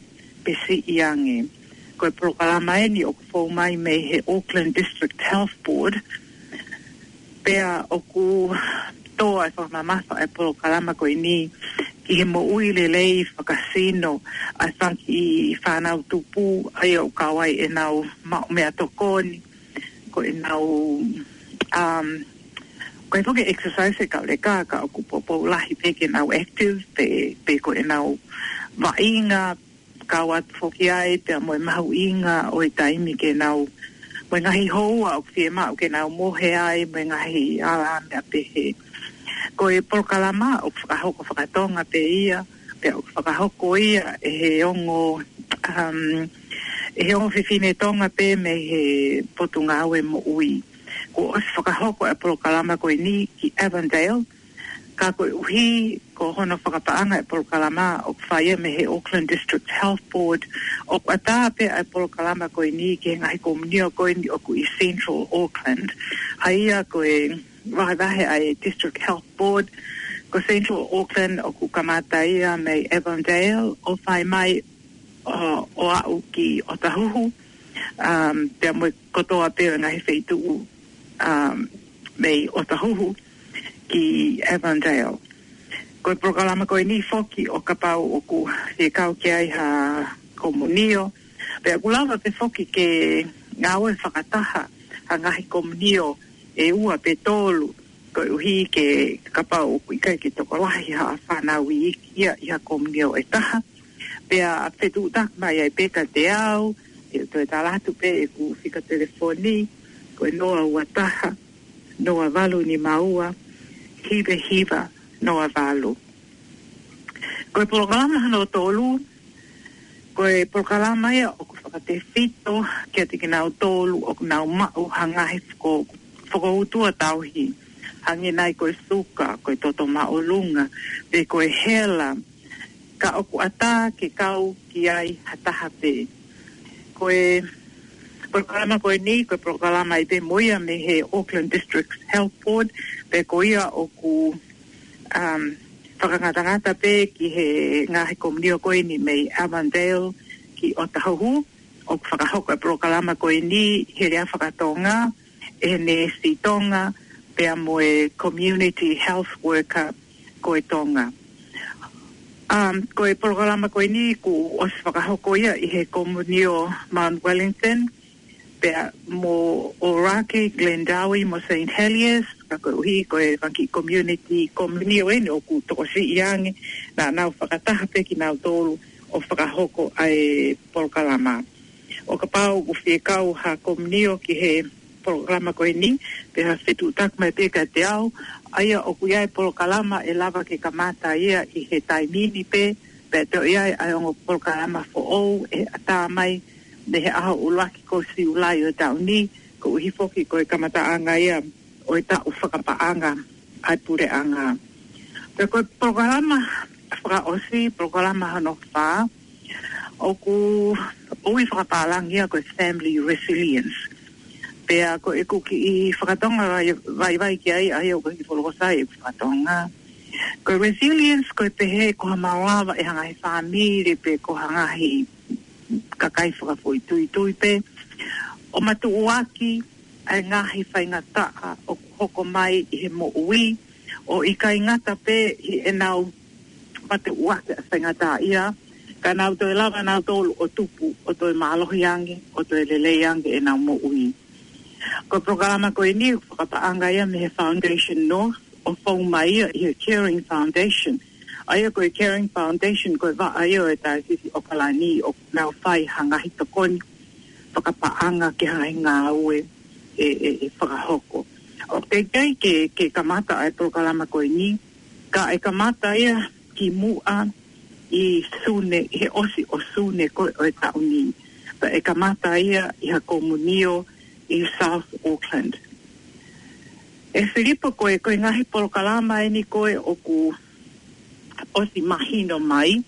pe siʻi ange. Ko e polokalama eni ʻoku fou mai mei he Auckland District Health Board, pea ʻoku tō ʻa e fakamamafa ʻa e polokalama ko eni ki he moʻui lelei fakasino ʻa e fanga kiʻi fānau tupu, ʻa ia ʻoku kau ai ʻenau maʻu meʻatokoni, ko ʻenau, um, ko e foki exercise ʻe kau leka, ka ʻoku poupou lahi pē ke nau active, pe, pe ko ʻenau vaʻinga, kau atu foki ai pea mo e mahuʻinga ʻo e taimi ke nau, mo e ngaahi houa ʻoku fiemaʻu ke nau mohe ai, mo e ngaahi ala meʻa pehē. Ko e polokalama ʻoku fakahoko fakatonga pē ia, pea ʻoku fakahoko ia ʻe he ongo, um, ʻe he ongo fefine Tonga pē mei he Potungāue Moʻui. Kuo ʻosi fakahoko e polokalama ko eni ki Avondale, ka koeʻuhi ko hono fakapaʻanga e polokalama ʻoku fai ia mei he Auckland District Health Board, ʻoku ʻatā pē ʻa e polokalama ko eni ki he ngaahi komunio ko eni ʻoku ʻi Central Auckland. ʻA ia ko e vahevahe ʻa e District Health Board, ko Central Auckland ʻoku kamata ia mei Avondale ʻo fai mai ʻo, ʻo aʻu ki ʻOtahuhu, um, pea mo e kotoa pē ʻo e ngaahi feituʻu, um, mei ʻOtahuhu ki Avondale. Ko e polokalama ko eni foki ʻo kapau ʻoku fie kau ki ai ha komunio, pea ʻoku lava pē foki ke ngāue fakataha ha ngaahi komunio ʻe ua pe tolu, koeʻuhi ke kapau ʻoku ʻikai ke tokolahi ha fānau iiki ia ʻi ha komunio ʻe taha. Pea fetuʻutaki mai ai pē kiate au, ʻe toe tala atu pē ʻeku fika telefoni, ko e noa ua taha, noa valu nima ua, hiva hiva noa valu. Ko e polokalama hono tolu, ko e polokalama ia ʻoku fakatefito kiate kinautolu ʻoku nau maʻu ha ngaahi foko-, fokoutua tauhi, hangē nai ko e suka, ko e toto māʻolunga, pe ko e hela, ka ʻoku ʻatā ke kau ki ai ha taha pē. Ko e polokalama ko eni, ko e polokalama ʻi pē mo ia mei he Auckland District Health Board, pea ko ia ʻoku, um, fakangatangata pē ki he ngaahi komunio ko eni mei Avondale ki ʻOtahuhu, ʻoku fakahoko e polokalama ko eni he lea fakatonga, ʻe he neesi Tonga, pea mo e community health worker ko e Tonga. Um, ko e polokalama ko eni kuo ʻosi fakahoko ia ʻi he komunio Mount Wellington, pea mo ʻOraki, Glendowie, mo Saint Heliers, ka koeʻuhi ko e fanga kiʻi community, komunio eni ʻoku tokosiʻi ange, naʻa nau fakataha pē kinautolu ʻo fakahoko ʻa e polokalama. ʻO kapau ʻoku fie kau ha komunio ki he polokalama ko eni, pea fetuʻutaki mai pē kiate au, ʻa ia ʻoku ʻi ai e polokalama ʻe lava ke kamata ia ʻi he taimi ni pē, pea toe ʻi ai ʻa e ongo polokalama foʻou ʻe ʻatā mai mei he ʻaho ʻuluaki ko Siulai ʻo e taʻu ni, koeʻuhi foki ko e kamataʻanga ia ʻo e taʻu fakapaʻanga ʻa e puleʻanga. Pea ko e polokalama fakaʻosi, polokalama hono fā, ʻOku ui fakapālangi ia ko e family resilience. Pea ko ʻeku kiʻi fakatonga vai, vaivai ki ai, ʻa ia ʻoku ʻikai ke folofola ʻeku fakatonga. Ko e resilience, ko e pehē ko ha malava ʻe ha ngaahi fāmili pe ko ha ngaahi kakai fakafoʻituitui pē ʻo matuʻuaki ʻa e ngaahi faingataʻa ʻoku hoko mai ʻi he moʻui, ʻo ʻikai ngata pē ʻi heʻenau matuʻuaki ʻa e faingataʻaʻia, ka nau toe lava nautolu ʻo tupu, ʻo toe mālohi ange, ʻo toe lelei ange ʻenau moʻui. Ko e polokalama ko eni ʻoku fakapaʻanga ia mei he Foundation North, ʻo fou mai ia ʻi he Caring Foundation. ʻA ia ko e Caring Foundation, ko e vaʻa ia ʻo e Taisisi ʻAokalani, ʻoku nau fai ha ngaahi tokoni fakapaʻanga ki ha ngaahi ngāue ʻe, ʻe, ʻe fakahoko. ʻOku teʻeki ai ke, ke kamata ʻa e polokalama ko eni, ka ʻe kamata ia kimuʻa ʻi Sune, ʻi he ʻosi ʻo Sune ko ē ʻo e taʻu ni. Pea ʻe kamata ia ʻi ha komunio ʻi South Auckland. ʻE Filipo, ko e, ko e ngaahi polokalama eni ko ē ʻoku ʻosi mahino mai,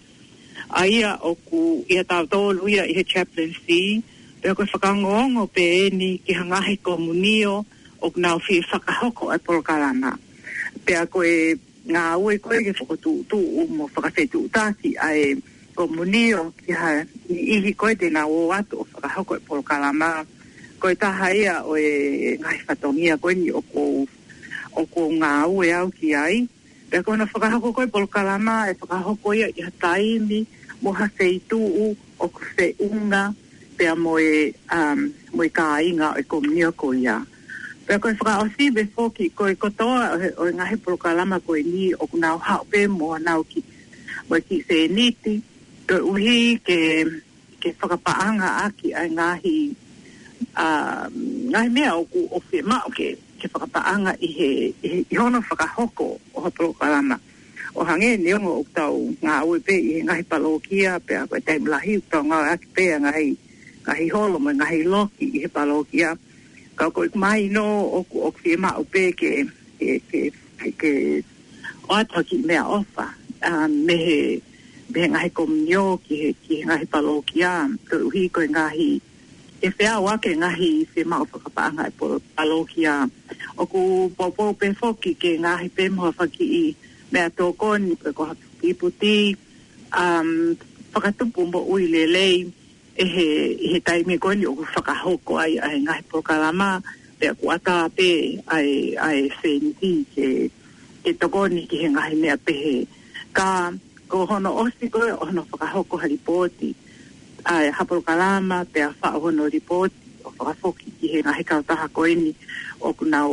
ʻa ia ʻoku ʻia tautolu ia ʻi he chaplaincy, pea ko e fakaongoongo pē eni ki ha ngaahi komunio ʻoku nau fie fakahoko ʻa e polokalama. Pea ko e ngāue ko ē ke fokotuʻutuʻu mo fakafetuʻutaki ʻa e komunio ki ha niʻihi ko ē te nau ō atu ʻo fakahoko e polokalama. Ko e taha ia ʻo e ngaahi fatongia ko eni ʻoku ou, ʻoku ou ngāue au ki ai. Pea ko hono fakahoko ko ē polokalama, ʻe fakahoko ia ʻi ha taimi mo ha feituʻu ʻoku feʻunga pea mo e, um, mo e kāinga ʻo e komunio ko ia. Pea ko e fakaʻosi pē foki, ko e kotoa ʻo e, ʻo e ngaahi polokalama ko eni ʻoku nau haʻu pē mo honau kiʻi, mo e kiʻi sēniti, koeʻuhi ke, ke fakapaʻanga ʻaki ʻa e ngaahi, a, ngaahi meʻa ʻoku, ʻoku fiemaʻu ke, ke fakapaʻanga ʻi he, ʻi he, ʻi hono fakahoko ʻo ha polokalama. ʻO hangē neongo ʻoku tau ngāue pē ʻi he ngaahi palōkia, pea ko e taimi lahi ʻoku tau ngāueʻaki pē ʻa e ngaahi, ngaahi holo mo e ngaahi loki ʻi he palōkia. Ka ko e mahino ʻoku, ʻoku fiemaʻu pē ke, ke, ke, ke ʻoatu ha kiʻi meʻaʻofa, a, mei he, mei he ngaahi komunio ki he, ki he ngaahi palōkia, koeʻuhi ko e ngaahi, ʻe feʻao ʻaki e ngaahi fiemaʻu fakapaʻanga ʻa e polo-, palōkia. ʻOku poupou pē foki ke ngaahi pē mo ha kiʻi meʻatokoni, pe ko ha kiʻi puti, um, fakatupu moʻui lelei, ʻi he, ʻi he taimi ko eni ʻoku fakahoko ai ʻa e ngaahi polokalama, pea ʻoku ʻatā pē ʻa e, ʻa e sēniti ke, ke tokoni ki he ngaahi meʻa pehē. Ka ko hono ʻosi ko ē ʻo hono fakahoko ha lipooti ʻa e ha polokalama, pea faʻu hono lipooti ʻo fakafoki ki he ngaahi kautaha ko eni ʻoku nau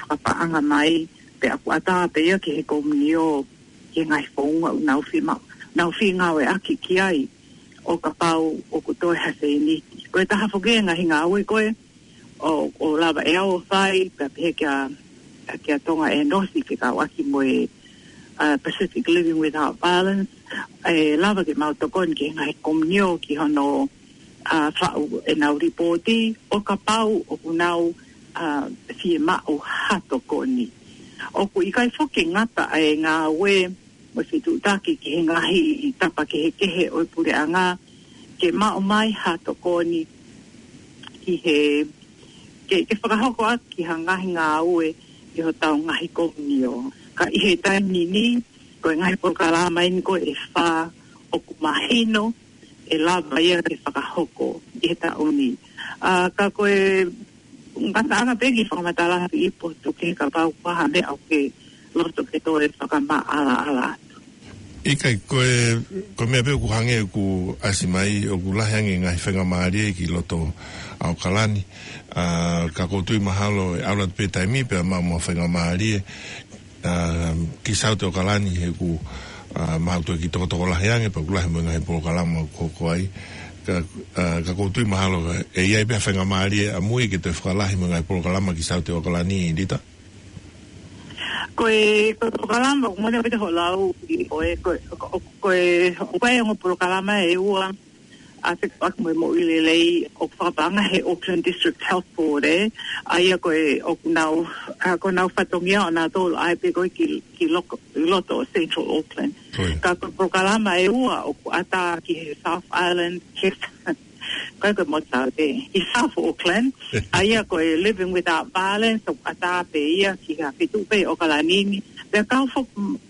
fakapaʻanga mai, pea ʻoku ʻatā pē ia ki he komunio, ki he ngaahi founga ʻoku nau fiemaʻu, nau fie ngāueʻaki ki ai, ʻo kapau ʻoku toe ha sēniti. Ko e taha foki e ngaahi ngāue ko ē ʻo, ʻoku lava ʻe au ʻo fai, pea pehē kia, kia Tonga ʻEnosi fekauʻaki mo e, a, Pacific Living Without Violence, ʻe lava ke mau tokoni ki he ngaahi komunio ki hono, a, faʻu ʻenau lipooti, ʻo kapau ʻoku nau, a, fiemaʻu ha tokoni. ʻOku ʻikai foki ngata ʻa e ngāue mo e fetuʻutaki ki he ngaahi tapa kehekehe ʻo e puleʻanga, ke maʻu mai ha tokoni ki he, ke, ke fakahoko ʻaki ha ngaahi ngāue ʻi hotau ngaahi komunio. Ka ʻi he taimi ni, ko e ngaahi polokalama eni ko ē ʻe fā ʻoku mahino ʻe lava ia ke fakahoko ʻi he taʻu ni. A, ka ko e ngataʻanga pē ke fakamatala atu Filipo, tuku ke kapau ko ha meʻa ʻoku ke loto ke toe fakamaʻalaʻala atu. ʻIkai, ko e, ko e meʻa pē ʻoku hangē ʻoku ʻasi mai, ʻoku lahi ange ngaahi faingamālie ki loto ʻAokalani. A, ka ʻoku ou tui mahalo ʻe ʻalu atu pē taimi pea maʻu mo ha faingamālie, a, ki Saute ʻAokalani he ʻoku, a, maʻu toe kiʻi tokotoko lahi ange, pea ʻoku lahi mo e ngaahi polokalama ʻoku hoko ai. Ka, a, ka ʻoku ou tui mahalo ʻe ʻi ai pē ha faingamālie ʻamui ke toe fakalahi mo e ngaahi polokalama ki Saute ʻAokalani, Lita? Ko e, ko e polokalama, ʻoku mole pita holau ʻi ʻo e, ko e, ko, ko e, ʻoku ʻi ai e ongo polokalama ʻe ua, ʻa e fekauʻaki mo e moʻui lelei ʻoku fakapaʻanga he Auckland District Health Board, ē. ʻA ia ko e ʻoku nau, ʻa, ko honau fatongia ʻonautolu ʻa e pē ko ē ki, ki loko, ki loto ʻo Central Auckland. Ko ia. Ka ko e polokalama ʻe ua ʻoku ʻatā ki he South Island, ki, ko e ko e Motu Taʻu pē, ki South Auckland, ʻa ia ko e Living Without Violence, ʻoku ʻatā pē ia ki ha feituʻu pē ʻi ʻOkalani ni. Pea kau fo-,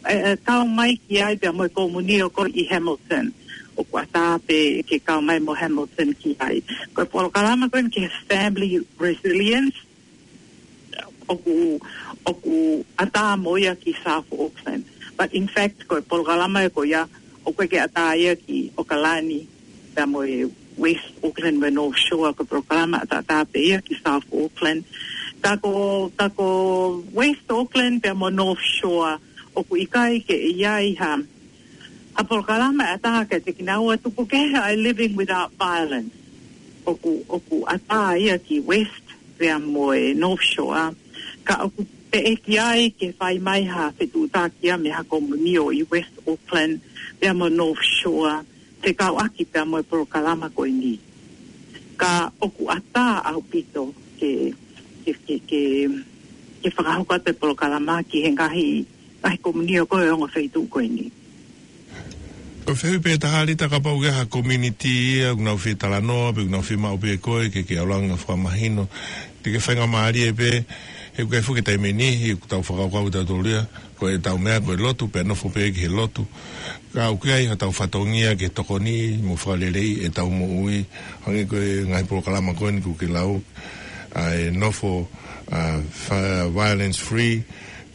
ē, ē, kau mai ki ai pea mo e komunio ko ē ʻi Hamilton. ʻOku ʻatā pē ke kau mai mo Hamilton ki ai. Ko e polokalama ko eni ki he Family Resilience, ʻoku, ʻoku ʻatā mo ia ki South Auckland. But in fact, ko e polokalama ē ko ia, ʻoku ʻikai ke ʻatā ia ki ʻOkalani, pea mo e West Auckland mo e North Shore, ko e polokalama ʻatā pē ia ki South Auckland. Ka ko, ka ko West Auckland pea mo North Shore, ʻoku ʻikai ke ʻi ai ha, ha polokalama ʻe ʻatā kiate kinaua, tuku kehe ʻa e Living Without Violence. ʻOku, ʻoku ʻatā ia ki West pea mo e North Shore. Ka ʻoku teʻeki ai ke fai mai ha fetuʻutaki ia mei ha komunio ʻi West Auckland pea mo North Shore, fekauʻaki pea mo e polokalama ko eni. Ka ʻoku ʻatā ʻaupito ke, ke, ke, ke, ke fakahoko atu e polokalama ki he ngaahi, ngaahi komunio ko ē ʻo e ongo feituʻu ko eni. Ko e fehuʻi pē ʻe taha, Lita, kapau ʻoku ʻi ai ha community ia ʻoku nau fie talanoa, pe ʻoku nau fie maʻu pē koe ke, ke ʻalu ange ʻo fakamahino. Te ke faingamālie pē, he ʻoku ʻikai foki ke taimi ʻe niʻihi, ʻoku tau fakakaukau tautolu ia, ko ʻetau meʻa ko e lotu, pea nofo pē ki he lotu. Ka ʻoku ʻi ai hotau fatongia ke tokoniʻi mo fakaleleiʻi ʻetau moʻui. Hangē ko e ngaahi polokalama ko eni kuo ke lau, ʻa e nofo, ʻa, fa-, violence free,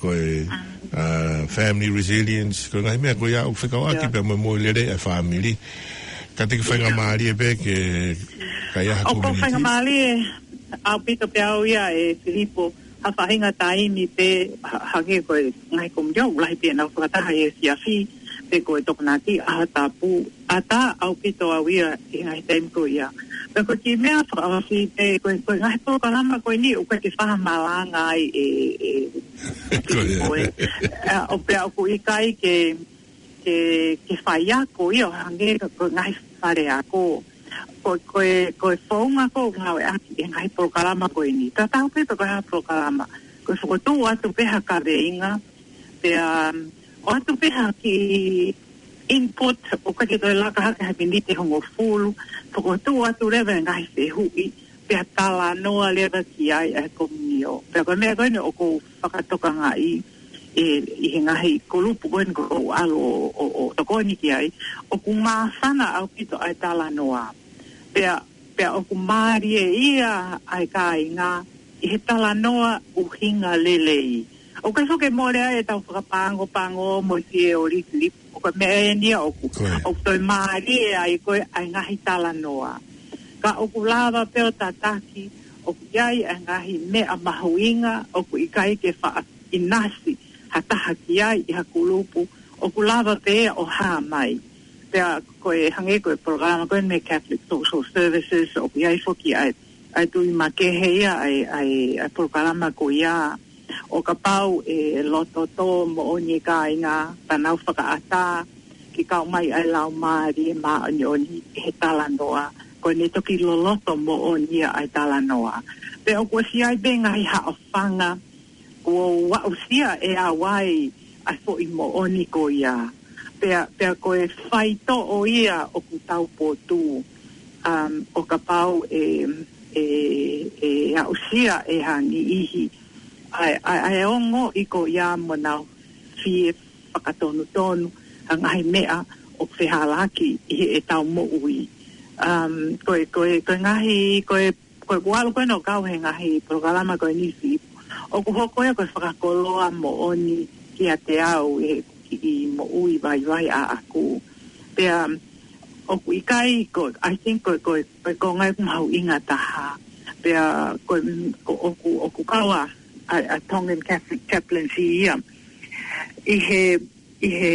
ko e, ʻa, family resilience, ko e ngaahi meʻa ko ia ʻoku fekauʻaki pea mo e moʻui lelei ʻa e fāmili. Ka te ke faingamālie pē ke, ka ʻi ai ha community. ʻOku ou faingamālie ʻaupito pē au ia ʻe Filipo, ha faʻahinga taimi pē, ha-, hangē ko e ngaahi komunio, ʻoku lahi pē ʻenau fakataha ʻi he efiafi, pe ko e Tokonaki, ʻaho tapu, ʻatā ʻaupito au ia ʻi he ngaahi taimi ko ia. Pea ko e kiʻi meʻa fakaʻosi pē, ko e, ko e ngaahi polokalama ko eni, ʻoku ʻikai ke fakamalanga ai ʻe, ʻe, ʻe Filipo ē. ʻA, ʻo pea ʻoku ʻikai ke, ke, ke faiako ia ʻo hangē ko e ngaahi faleako. Ko, ko e, ko e founga ʻoku ngāueʻaki ʻi he ngaahi polokalama ko eni. Tatau pē pe ko e hā e polokalama. Ko e fokotuʻu atu pē ha kaveinga, pea, um, ʻoatu pē ha kiʻi input, ʻoku ʻikai ke toe laka hake ha miniti ʻe hongofulu, fokotuʻu atu leva e ngaahi fehuʻi, pea talanoa leva ki ai ʻa e komunio. Pea ko e meʻa ko eni ʻoku ou fakatokangaʻi ʻi, ʻi he ngaahi kulupu ko eni ʻoku ou ʻalu ʻo, ʻo, ʻo tokoni ki ai, ʻoku māfana ʻaupito ʻa e talanoa. Pea, pea ʻoku mālie ia ʻa e kāinga ʻi he talanoa ʻuhinga lelei. ʻOku ʻikai foki ke mole ai ʻetau fakapangopango mo e fie ʻo Filipo. Ko e meʻa eni ia ʻoku, ʻoku toe mālie ai ko ē ʻa e ngaahi talanoa. Ka ʻoku lava pē ʻo tataki, ʻoku ʻi ai ʻa e ngaahi meʻa mahuʻinga, ʻoku ʻikai ke faʻa ʻinasi ha taha ki ai ʻi ha kulupu, ʻoku lava pē ia ʻo hā mai. Pea ko e hangē ko e polokalama ko eni mei he Catholic Social Services, ʻoku ʻi ai foki ʻa e, ʻa e Tuʻi Makehe ia, ʻa e, ʻa e, ʻa e polokalama ko ia, ʻo kapau ʻe loto tō moʻoni e kāinga, pea nau fakaʻatā ke kau mai ʻa e Laumālie Māʻoniʻoni ʻi he talanoa, ko ʻene toki loloto moʻoni ia ʻa e talanoa. Pea ʻoku ʻosi ʻi ai pē ngaahi haʻofanga, kuo aʻusia ʻe au ai ʻa e foʻi moʻoni ko ia. Pea, pea ko e faitoʻo ia ʻoku tau potu, um, ʻo kapau ʻe, ʻe, ʻe aʻusia ʻe ha niʻihi ʻa e, ʻa e, ʻa e ongoʻi ko ia mo nau fie fakatonutonu ʻa e ngaahi meʻa ʻoku fehālaaki ʻi heʻetau moʻui. Um, ko e, ko e, ko e ngaahi, ko e, ko e kuo ʻalu ko ē ʻo kau he ngaahi polokalama ko eni, Filipo, ʻoku hoko ia ko e fakakoloa moʻoni kiate au ʻi he kiʻi moʻui vaivai ʻaʻaku. Pea ʻoku ʻikai ko, I think ko, ko, ko e konga ia ʻoku mahuʻinga taha. Pea ko, ko ʻoku, ʻoku kau ʻa, ʻa, ʻa Tongan Catholic Chaplaincy ia ʻi he, ʻi he,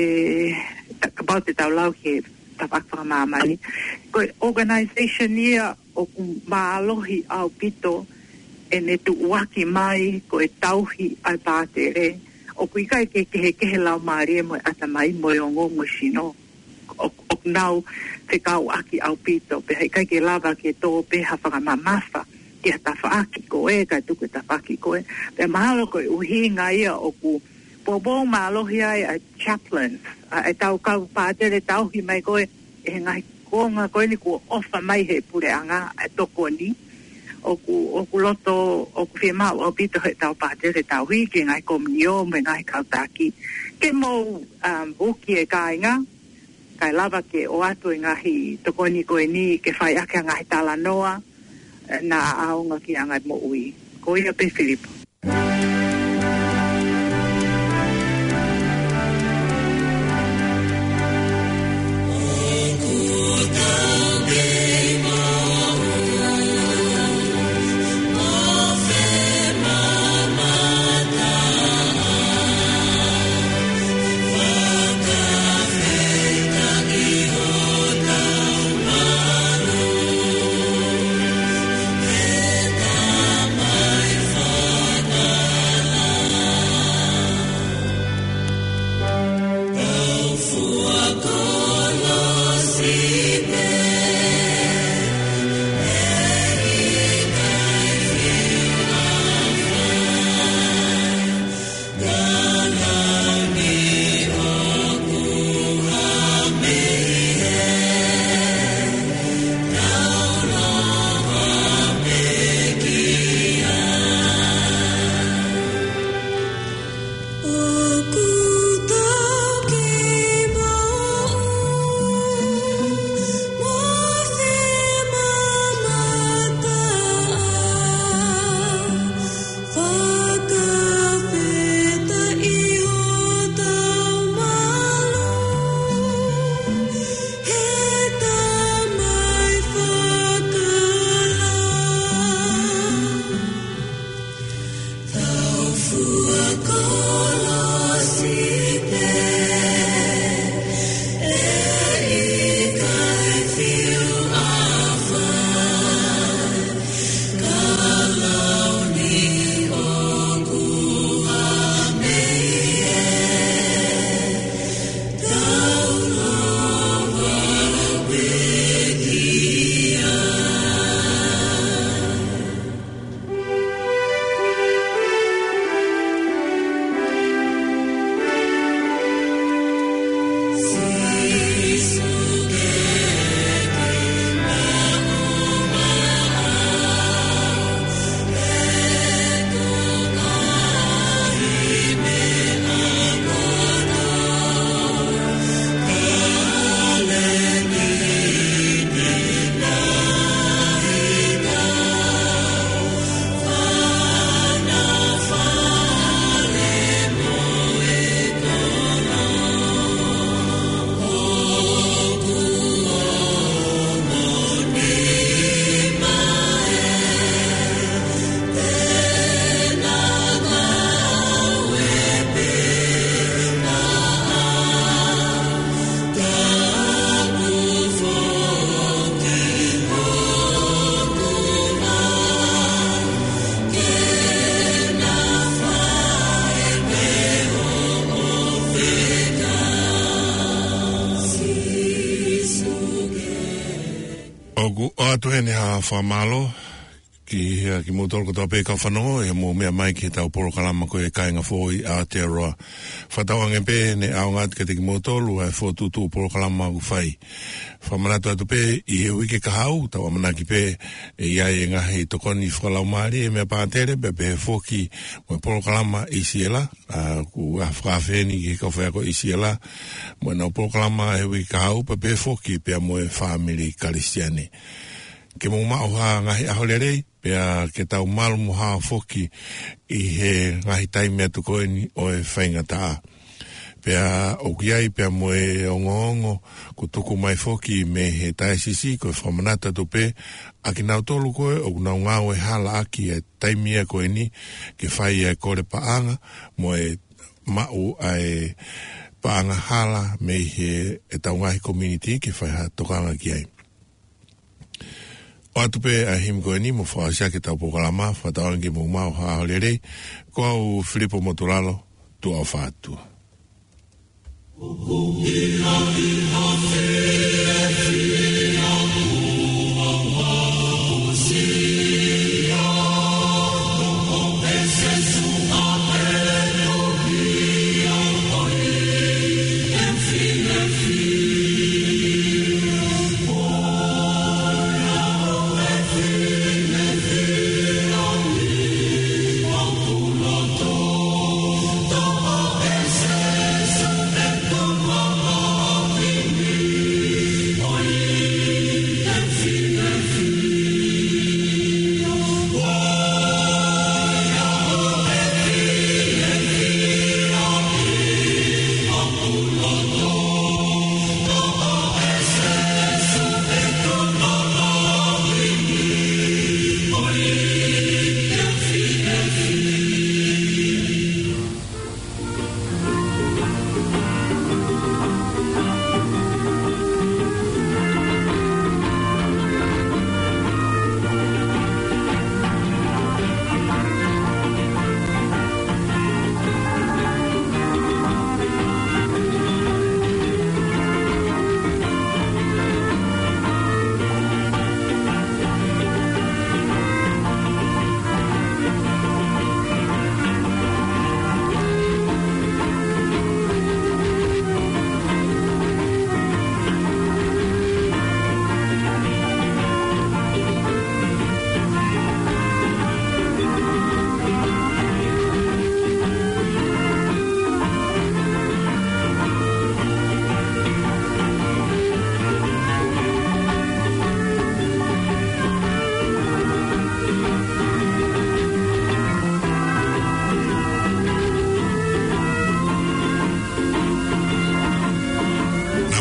ta-, kapau te tau lau ki he tafaʻaki fakamāmani. Ko e organization ia ʻoku mālohi ʻaupito ʻene tuʻuaki mai ko e tauhi ʻa e pātele. ʻOku ʻikai ke kehekehe laumālie mo e ʻatamai mo e ongo mo e sino. ʻO, ʻoku nau fekauʻaki ʻaupito, pea heʻikai ke lava ke tō pē ha fakamamafa ki ha tafaʻaki ko ē, kae tuku e tafaʻaki ko ē. Pea mahalo ko e ʻuhinga ia ʻoku poupou mālohi ai ʻa e chaplains, ʻa e tau kau pātele tauhi mai ko ē, ʻe he ngaahi konga ko eni kuo ʻofa mai he puleʻanga ʻa e tokoni. ʻOku, ʻoku loto, ʻoku fiemaʻu ʻaupito he tau pātele tauhi ki he ngaahi komiunitī mo e ngaahi kau taki. Ke mou, um, uki e kāinga, kae lava ke ʻoatu e ngaahi tokoni ko eni ke fai ʻaki ʻa e ngaahi talanoa, eh, naʻa ʻaonga ki he anga e moʻui. Ko ia pē Filipo. Fakafetaʻi hotau malu, he Tamai fakalaumālie. Tau fua kolosi pē, ʻe ʻikai fiu ʻa fai. ʻOku ʻoatu heni ha fakamālō ki he, kimoutolu kotoa pē kau fanongo, ʻi hoʻomou meʻa mai ki heʻetau polokalama ko e Kāinga Foʻou ʻi Aotearoa. Fakatauange pē ne ʻaonga atu kiate kimoutolu ʻa e fokotuʻutuʻu polokalama ʻoku fai. Fakamanatu atu pē ʻi he uike kahaʻu, tau ʻamanaki pē ʻe ʻi ai e ngaahi tokoni fakalaumālie mei he pātele, pea pehē foki mo e polokalama ʻi Siela, ʻa, ʻoku fakaafe eni ki he kau faiako ʻi Siela, mo ʻenau polokalama he uike kahaʻu, pea pehē foki pea mo e fāmili Kalisitiane. Ke mou maʻu ha ngaahi ʻaho lelei, pea ke tau malu mo hao foki ʻi he ngaahi taimi atu ko eni ʻo e faingataʻa. Pea ʻoku ʻi ai pea mo e ongoongo kuo tuku mai foki mei he taesisi, ko e fakamanatu atu pē ʻa kinautolu ko ē ʻoku nau ngāue hala ʻaki e taimi ia ko eni ke fai e kole paʻanga mo e maʻu ʻa e paʻanga hala mei heʻetau ngaahi community ke fai ha tokanga ki ai. ʻOatu pē ʻa e himi ko eni mo fakaʻosi ʻaki ʻetau polokalama, fakatauange ke mou maʻu ha ʻaho lelei. Ko au Filipo Motulalo, tuʻa ʻofa atu. Naʻa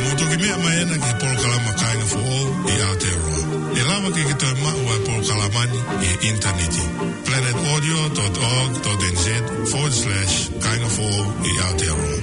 mou toki meʻa mai ena ki he polokalama Kāinga Foʻou ʻi Aotearoa. ʻE lava ke ke toe maʻu ʻa e polokalama ni ʻi he ʻinitaneti. planet audio dot org dot N Z forward slash Kāinga Foʻou ʻi Aotearoa.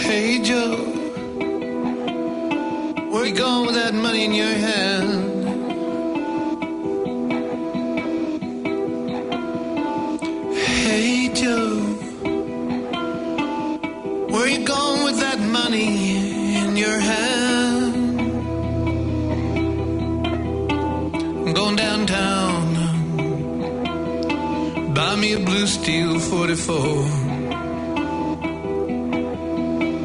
Hey Joe, where you going with that money in your hand? Hey Joe, where you going with that money in your hand? I'm going downtown. Buy me a blue steel forty-four.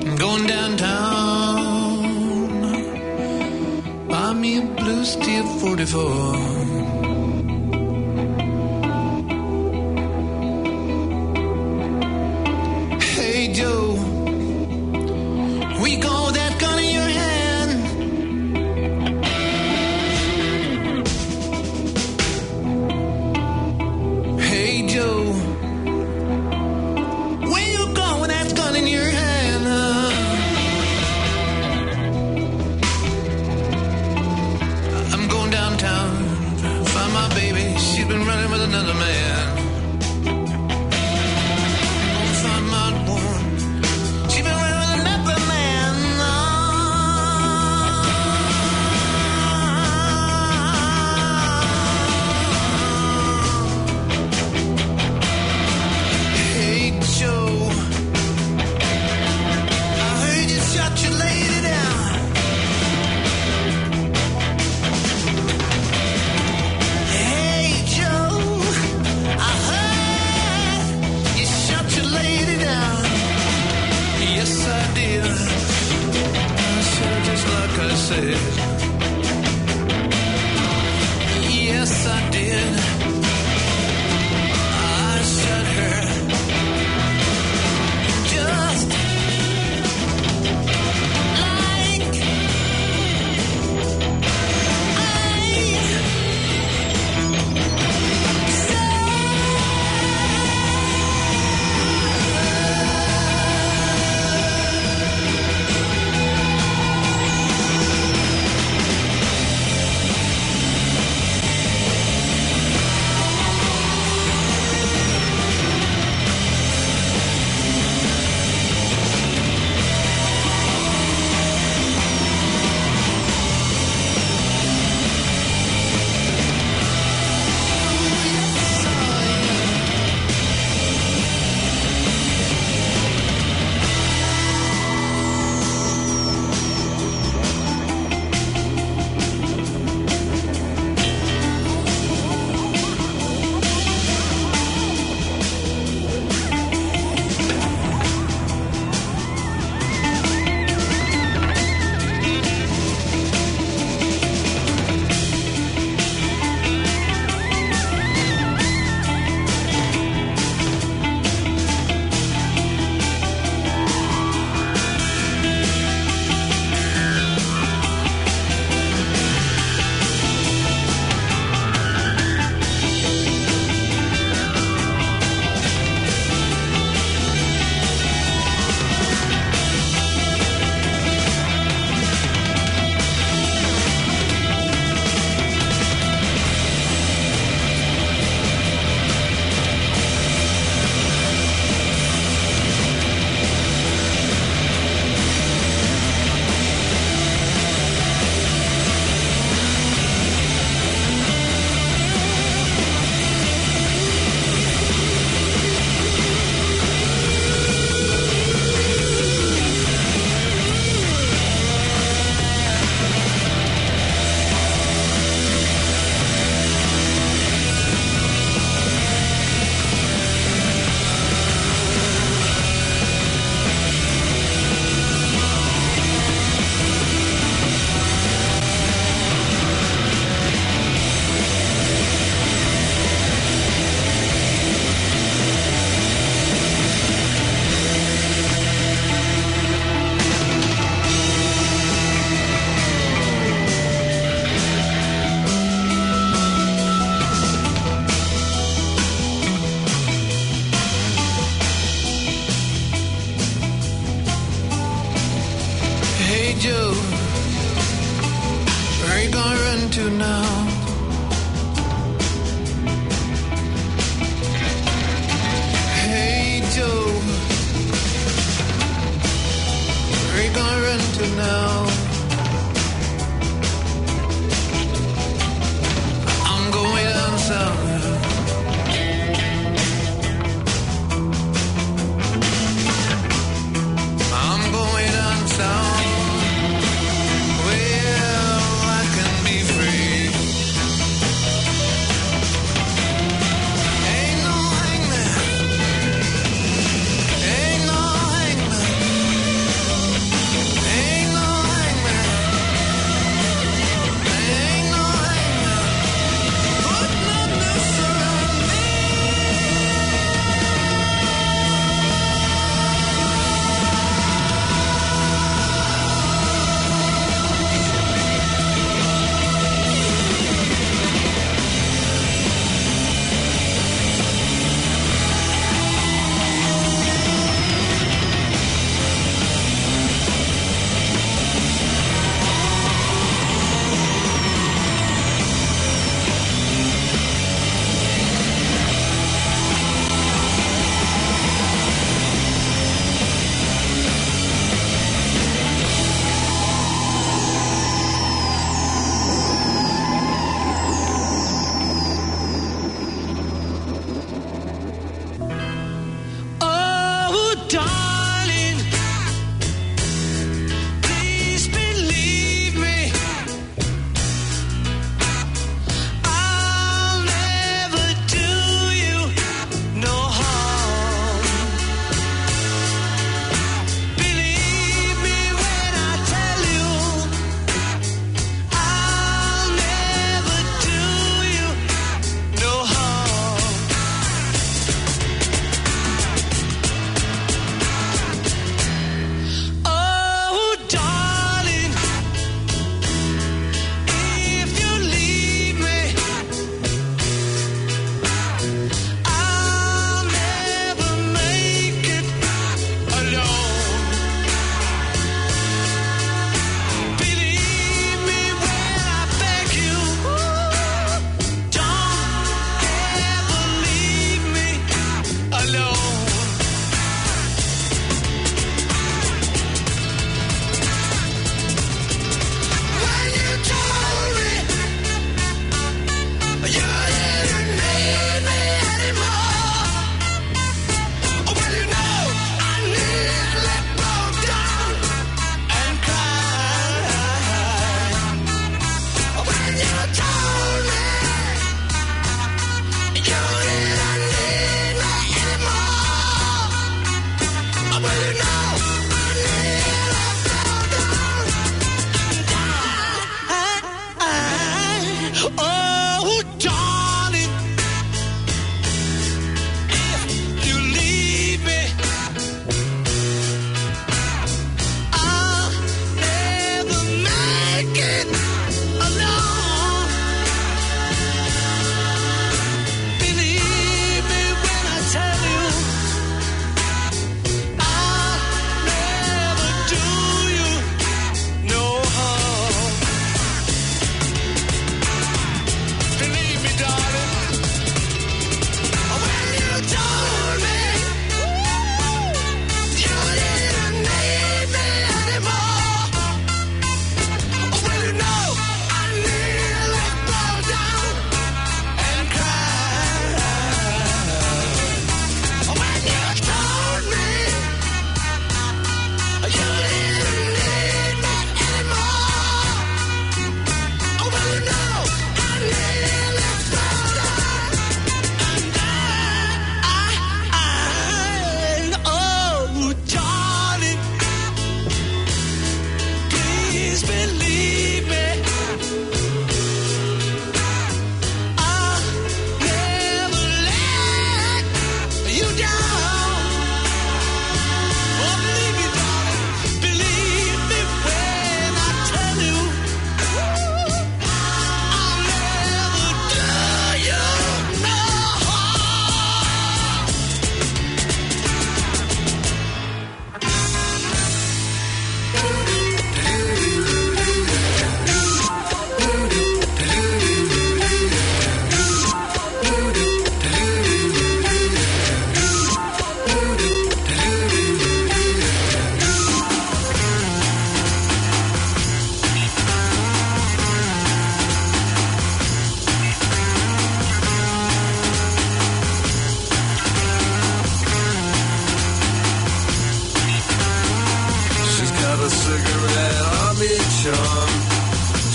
I'm going downtown. Buy me a blue steel forty-four. Hey Joe, where you going with that gun in your hand? Hey Joe, where you going with that gun in your hand? I'm going downtown, find my baby. She's been running with another man. Find my woman. She's been running with another man. Hey Joe, I heard you shot your lady down. Hey Joe, I heard you shot your lady down. Yes, I did. I shot her just like I said. Yes, I did. I shot her just like I said. Joe, where you gonna run to now? Hey, Joe, where you gonna run to now? I'm going down south. I'm going down south where I can be free. Ain't no hangman. Ain't no hangman. Ain't no hangman. Ain't no hangman. Put no noose around me. Oh, darling, please believe me. I'll never do you no harm. Believe me when I tell you, I'll never do you no harm.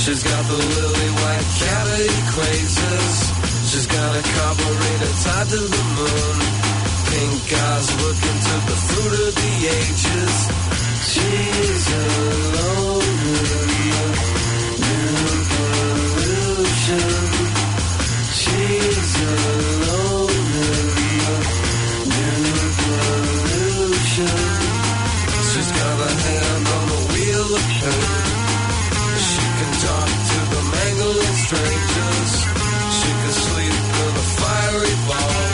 She's got the lily white cat he crazes. She's got a carburetor tied to the moon. Pink eyes looking to the fruit of the ages. She's alone in the new pollution. She's alone in the new pollution. She's got a hand on the wheel of fate. She can talk to the mangling strangers. She can sleep in a fiery ball.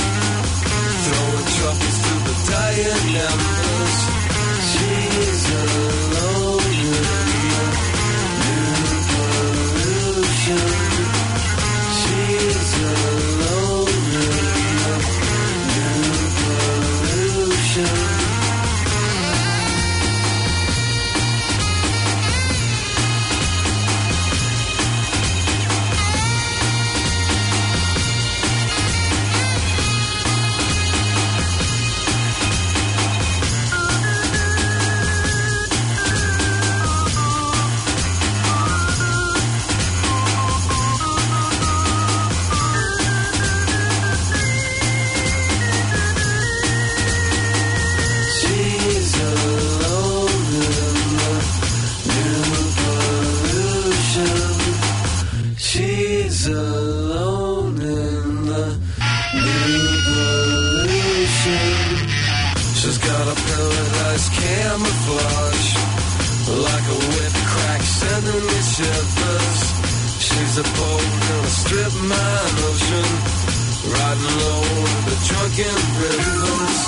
Throwing troubles to the dying embers. She's alone in the new pollution. She's alone in the new pollution. She's alone in the new pollution. She's alone in the new pollution. She's got a paradise camouflage, like a whip crack sending me shivers. She's a boat in a strip mine ocean, riding low in the drunken rivers.